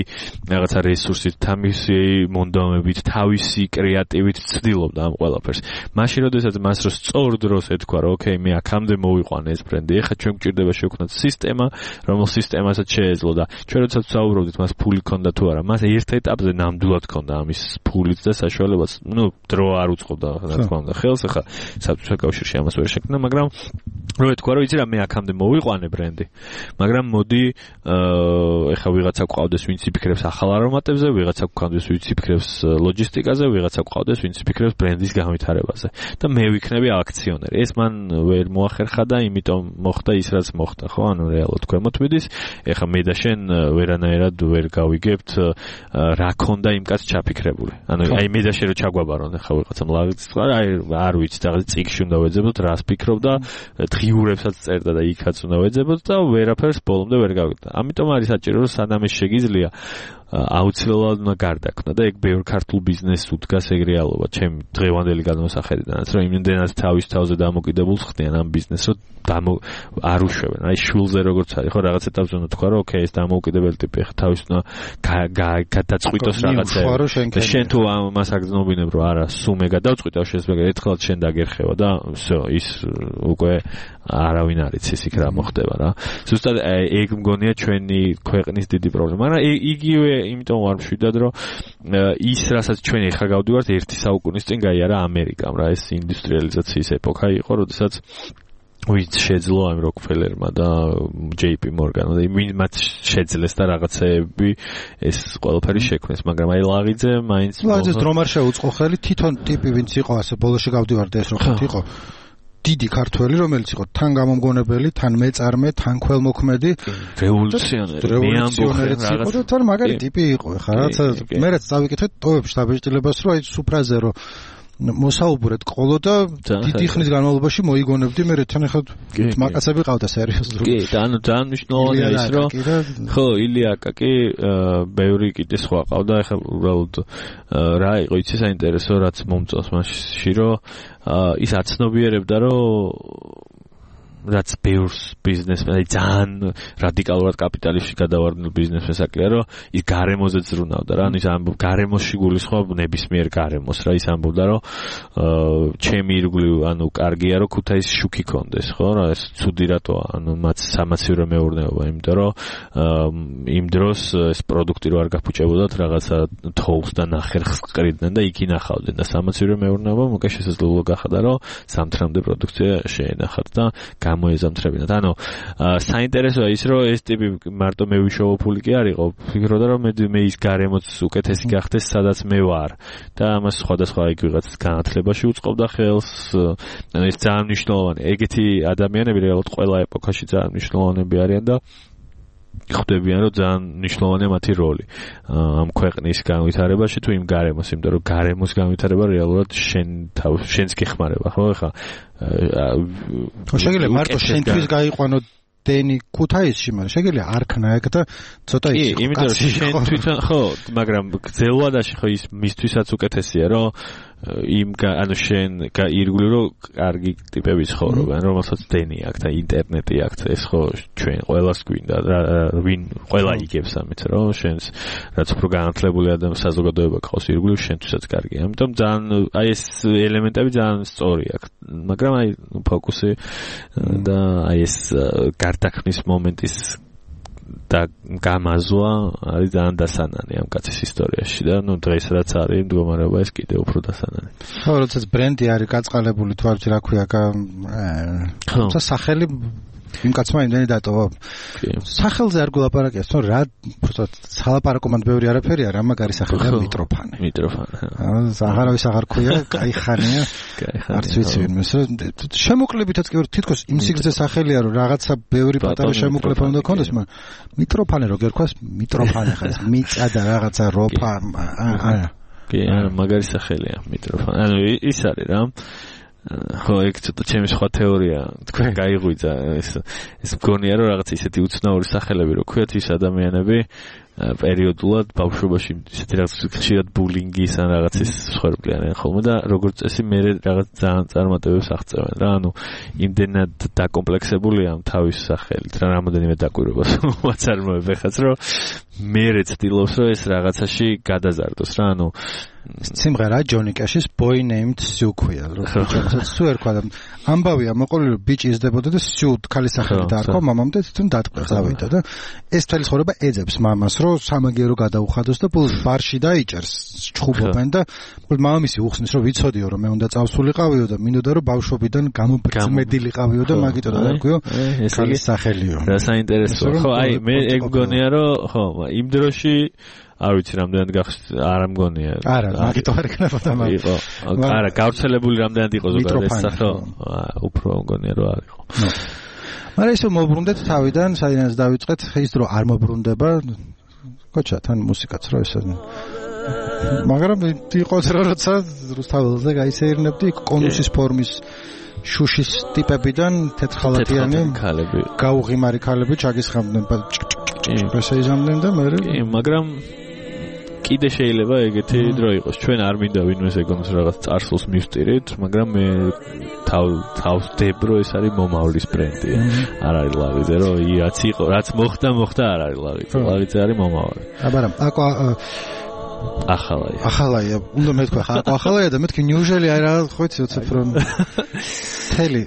რაღაცა რესურსით, თავისი მონდომებით, თავისი კრეატივით ვცდილობდა ამ ყველაფერს. მაშინ როდესაც მას რო სწორ დროს ეთქვა, რომ ოკეი, მე აქამდე მოვიყვანე ეს ბრენდი, ეხლა ჩვენ გვჭირდება შევქმნათ სისტემა, რომელ სისტემასაც შეეძლო და ჩვენ როდესაც ვსაუბრობდით მას ფული ქონდა თუ არა, მას ერთ ეტაპზე ნამდვილად ქონდა ამის ფულით და საშუალებაც, დრო არ უწყობდა, რა თქმა უნდა, ხელს ეხლა საბჭოთა კავშირში ამას ვერ შექმნა, მაგრამ რო ეთქვა, რომ იცი რა, მე აქამდე მოვიყვანე ბრენდი, მაგრამ მოდი ეხლა ვიღაცა გვყავდეს, ვინც იფიქრებს ახალ არომატებზე, ვიღაცა გვყავდეს, ვინც იფიქრებს ლოჯისტიკაზე, ვიღაცა გვყავდეს, ვინც იფიქრებს ბრენდის განვითარებაზე და მე ვიქნები აქციონერი. ეს მან ვერ მოახერხა და იმიტომ მოხდა ის რაც მოხდა, ხო? ანუ რეალურად ქვემოთ მიდის. ეხლა მე და შენ ვერანაირად ვერ გავიგებთ რა ქონდა იმ კაც ჩაფიქრებული. ანუ აი მე და შენ რო ჩაგვაბარონ ეხლა ვიღაცამ ლაღიც აი არ ვიცი რაღაც წიგში უნდა ვეძებოთ, რას ფიქრობდა, დღიურებსაც წერდა და იქაც უნდა ვეძებოთ და ვერაფერს ბოლომდე ვერ გავიგდა. ამიტომ არის საჭირო რომ სანამ ეს შეგიძლია აუცილებლად უნდა გარდაქმნა და ეგ ბევრ ქართულ ბიზნესს უდგას ეგ რეალობა ჩემი დღევანდელი განმოსახედიდანაც რომ იმდენად თავის თავზე დამოკიდებულს ხდიან ამ ბიზნესს რომ არ უშვებენ აი შულზე როგორც არის ხო რაღაც ეტაპზე უნდა თქვა რომ ოკეი ეს დამოუკიდებელი ტიპი ხა თავის უნდა გადაწყვიტოს რაღაცა და შენ თუ ამას აგზნობინებ რომ არა სულ მე გადავწყვიტავ შესაძლოა ერთხელ შენ დაგერხევა და всё ის უკვე არავინ არ იცის იქ რა მოხდება რა ზუსტად ეგ მგონია ჩვენი ქვეყნის დიდი პრობლემა მაგრამ იგივე იმიტომ ვარ მშვიდად რომ ის რასაც ჩვენ ეხლა გავდივართ ერთი საუკუნის წინ გაიარა ამერიკამ რა ეს ინდუსტრიალიზაციის ეპოქა იყო როდესაც ვინც შეძლო ამ როკფელერმა და JP Morgan-მა და მათ შეძლეს და რაღაცეები ეს ყველაფერი შექმნეს მაგრამ აი ლაღიძე მაინც ლაღიძეს დრომ არ შეუწყო ხელი თვითონ ტიპი ვინც იყო ასე ბოლოში გავდივართ ეს რო იყო დიდი ქართველი რომელიც იყო თან გამომგონებელი თან მეწარმე თან ქველმოქმედი რევოლუციონერი იყო და თან მაგარი ტიპი იყო ხა რაცა მე რაც დავიკითხეთ ტოვებში დაბეჭდილებას რომ აი სუფრაზე რომ მოსაუბრეთ ყოლო და დიდი ხნის განმავლობაში მოიგონებდი მე თან ახლა მაკაცები ყავდა სერიოზულად კი და ანუ ძალიან მნიშვნელოვანია ის რომ ხო ილია აკაკი ბევრი კიდე სხვა ყავდა ახლა უბრალოდ რა იყო იცი საინტერესო რაც მომწონს მასში რომ ის აცნობიერებდა რომ რაც ბევრს ბიზნესმენ აი ძალიან რადიკალურად კაპიტალისტში გადავარდნილ ბიზნესმენს აკლია რომ ის გარემოზე ზრუნავდა რა ანუ ის ამბობ გარემოში გულისხმობ ნებისმიერ გარემოს რა ის ამბობდა რომ ჩემი ირგვლივ ანუ კარგია რომ ქუთაისის შუქი კონდეს ხო რა ეს ცუდი რატოა ანუ მათ სამაცივრო მეურნეობა იმიტომ რომ იმ დროს ეს პროდუქტი რო არ გაფუჭებოდათ რაღაცა თოვლს და ნახერხს ყრიდნენ და იქ ინახავდნენ და სამაცივრო მეურნეობა მოკე შესაძლებლობა გახადა რომ სამთრამდე პროდუქცია შეენახათ და გამოეზამთრებინათ. ანუ საინტერესოა ის რომ ეს ტიპი მარტო მე ვიშოვო ფული კი არ იყო. ფიქრობდა რომ მე ის გარემოც უკეთესი გახდეს სადაც მე ვარ და ამას სხვადასხვა იქ ვიღაც განათლებაში უწყობდა ხელს. ანუ ეს ძალიან მნიშვნელოვანი. ეგეთი ადამიანები რეალურად ყველა ეპოქაში ძალიან მნიშვნელოვანები არიან და ხვდებიან რომ ძალიან მნიშვნელოვანია მათი როლი ამ ქვეყნის განვითარებაში თუ იმ გარემოს, იმიტომ რომ გარემოს განვითარება რეალურად შენს გეხმარება, ხო? ეხლა შეგიძლია მარტო შენთვის გაიყვანო დენი ქუთაისში, მაგრამ შეგიძლია არქნა ეგ და ცოტა ის კი, იმიტომ რომ შენ თვითონ ხო, მაგრამ გრძელვადაში ხო ის მისთვისაც უკეთესია, რომ იმ ანუ შენ ირგვლივ რომ კარგი ტიპები ცხოვრობენ, რომელსაც დენი აქვს და ინტერნეტი აქვს, ეს ხო ჩვენ ყველას გვინდა, ვინ ყველა იგებს ამით, რომ შენს რაც უფრო განათლებული ადამიანი საზოგადოება ყავს ირგვლივ შენთვისაც კარგია. ამიტომ ძალიან აი ეს ელემენტები ძალიან სწორი აქვს, მაგრამ აი ფოკუსი და აი ეს გარდაქმნის მომენტის და გამაზვა არის ძალიან დასანანი ამ კაცის ისტორიაში და ნუ დღეს რაც არის მდგომარეობა ეს კიდევ უფრო დასანანი. ხო, როდესაც ბრენდი არის გაწყალებული თუ არ ვიცი რა ქვია, თუმცა სახელი იმ კაცმა იმდენი დატოვა. სახელზე არ გულაპარაკია, თორე რა უბრალოდ სალაპარაკომად ბევრი არაფერი არა, მაგარი სახელია მიტროფანე. მიტროფანე. აღარავის აღარ ქვია, кай ხანია. არც ვიცი ვინმეს, შემოკლებით თითქოს იმ სიგრძე სახელია, რომ რაღაცა ბევრი პატარა შემოკლება უნდა ქონდეს, მაგრამ მიტროფანე რო გერქვას, მიტროფანე ხარ, მიწა და რაღაცა როფა, არა. კი, მაგარი სახელია მიტროფანე. ანუ ის არის რა. ხო, ეგ ცოტა ჩემი სხვა თეორია, თქვენ გაიღვიძა ეს მგონია რომ რაღაც ისეთი უცნაური სახელები რო ქვიათ ის ადამიანები პერიოდულად ბავშვობაში ისეთი რაღაც ხშირად ბულინგის ან რაღაცის მსხვერპლიანენ ხოლმე და როგორც წესი მე რაღაც ძალიან წარმატებებს აღწევენ რა, ანუ იმდენად დაკომპლექსებულია ამ თავის სახელით რა რამოდენიმე დაკვირვებას მათ არ მოებეხაც რომ მე ცდილობს რომ ეს რაღაცაში გადაზარდოს რა, ანუ სიმღერა ჯონი კეშის Boy Named Sue ქვია, რომ სუ ერქვა და ამბავია მოყოლი რომ ბიჭი იზრდებოდა და სუ ქალის სახელი დაარქვა მამამ და თვითონ დატყვეს ავიდა და ეს თელი ცხოვრება ეძებს მამას რომ სამაგიერო გადაუხადოს და ბოლოს ბარში დაიჭერს ჩხუბობენ და მამამისი უხსნის რომ ვიცოდიო რომ მე უნდა წავსულიყავიო და მინდოდა რომ ბავშვობიდან გამომწმედილიყავიო და მაგიტო დაარქვიო ქალის სახელიო. რა საინტერესოა. ხო, აი მე ეგ მგონია რომ ხო იმ დროში არ ვიცი რამდენად არ მგონია. არა, მაგიტო არ იქნებოდა მაგ. იყო. არა, გავრცელებული რამდენად იყო ზოგადად ეს სახე. უფრო მგონია რომ არ იყო. მაგრამ ისე მოbrunდეთ თავიდან, საიდანაც დავიწყეთ, ის დრო არ მოbrunდება. კოჩა, თან მუსიკაც რო ესე. მაგრამ იყოს როცა რუსთაველზე გაისეირნებდი კონუსის ფორმის შუშის ტიპებიდან თეთრხალატიანი ქალები, გაუღიმარი ქალები ჩაგისხამდნენ, ესე იზამდნენ და მე მაგრამ კიდე შეიძლება ეგეთი დრო იყოს. ჩვენ არ მინდა ვინმეს ეგონოს რაღაც წარსულს მივსტირით, მაგრამ მე თავს დებრო ეს არის მომავლის ბრენდი. არ არის ლავიძე, რომ რაც იყო, რაც მოხდა არ არის ლავიძე. ლავიძე არის მომავალი. აბარა, აკვა ახალაია, უნდა მეთქვა ხა ახალაია და მეთქი ნიუჟელი აი რაღაც ხო იცი უცებ რომ თელი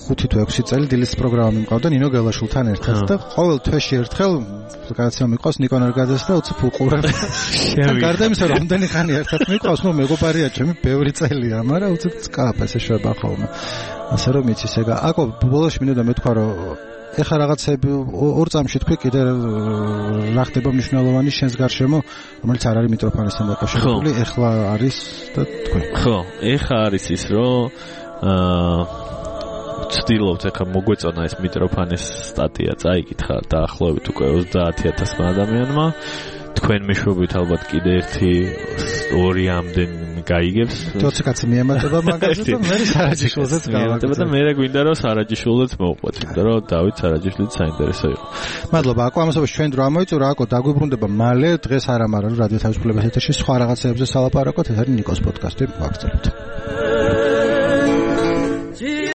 5 თუ 6 წელი დილის პროგრამა მიმყავდა ნინო გელაშულთან ერთად და ყოველ თვეში ერთხელ რაღაცა მიყვავს ნიკონ ერგაძეს და უცებ უყურებ. გარდა იმისა რომ რამდენი ხანი ერთად მიყვავს, ნუ მეგობარია ჩემი ბევრი წელია, მაგრამ უცებ წკაფ ესე შვება ხოლმე. ასე რომ იცის ეგა აკო ბოლოს მინდა მეთქვა რომ ეხა რაღაცები ორ წამში თქვი კიდე რა ხდება მნიშვნელოვანი შენს გარშემო, რომელიც არ არის მიტროფანესთან დაკავშირებული, ეხლა არის და თქვი. ხო, ეხა არის ის რომ ვცდილობთ ეხა მოგვეწონა ეს მიტროფანეს სტატია, წაიკითხა დაახლოებით უკვე 30,000 ადამიანმა. თქვენ მეშვეობით ალბათ კიდე 1-2 ამდენ გაიგებს. 20 კაცი მიემატება მაგაზე და მე სარაჯიშვილზეც გავაკეთებ. და მე გვინდა რომ სარაჯიშვილზეც მოვყვეთ, იმიტომ რომ დავით სარაჯიშვილიც საინტერესო იყო. მადლობა, აკო ამასობაში ჩვენ დრო ამოიწურა, აკო დაგვიბრუნდება მალე, დღეს არა, მაგრამ რადიო თავისუფლების ეთერში სხვა რაღაცეებზე სალაპარაკოთ, ეს არის ნიკოს პოდკასტი, ვაგრძელებთ.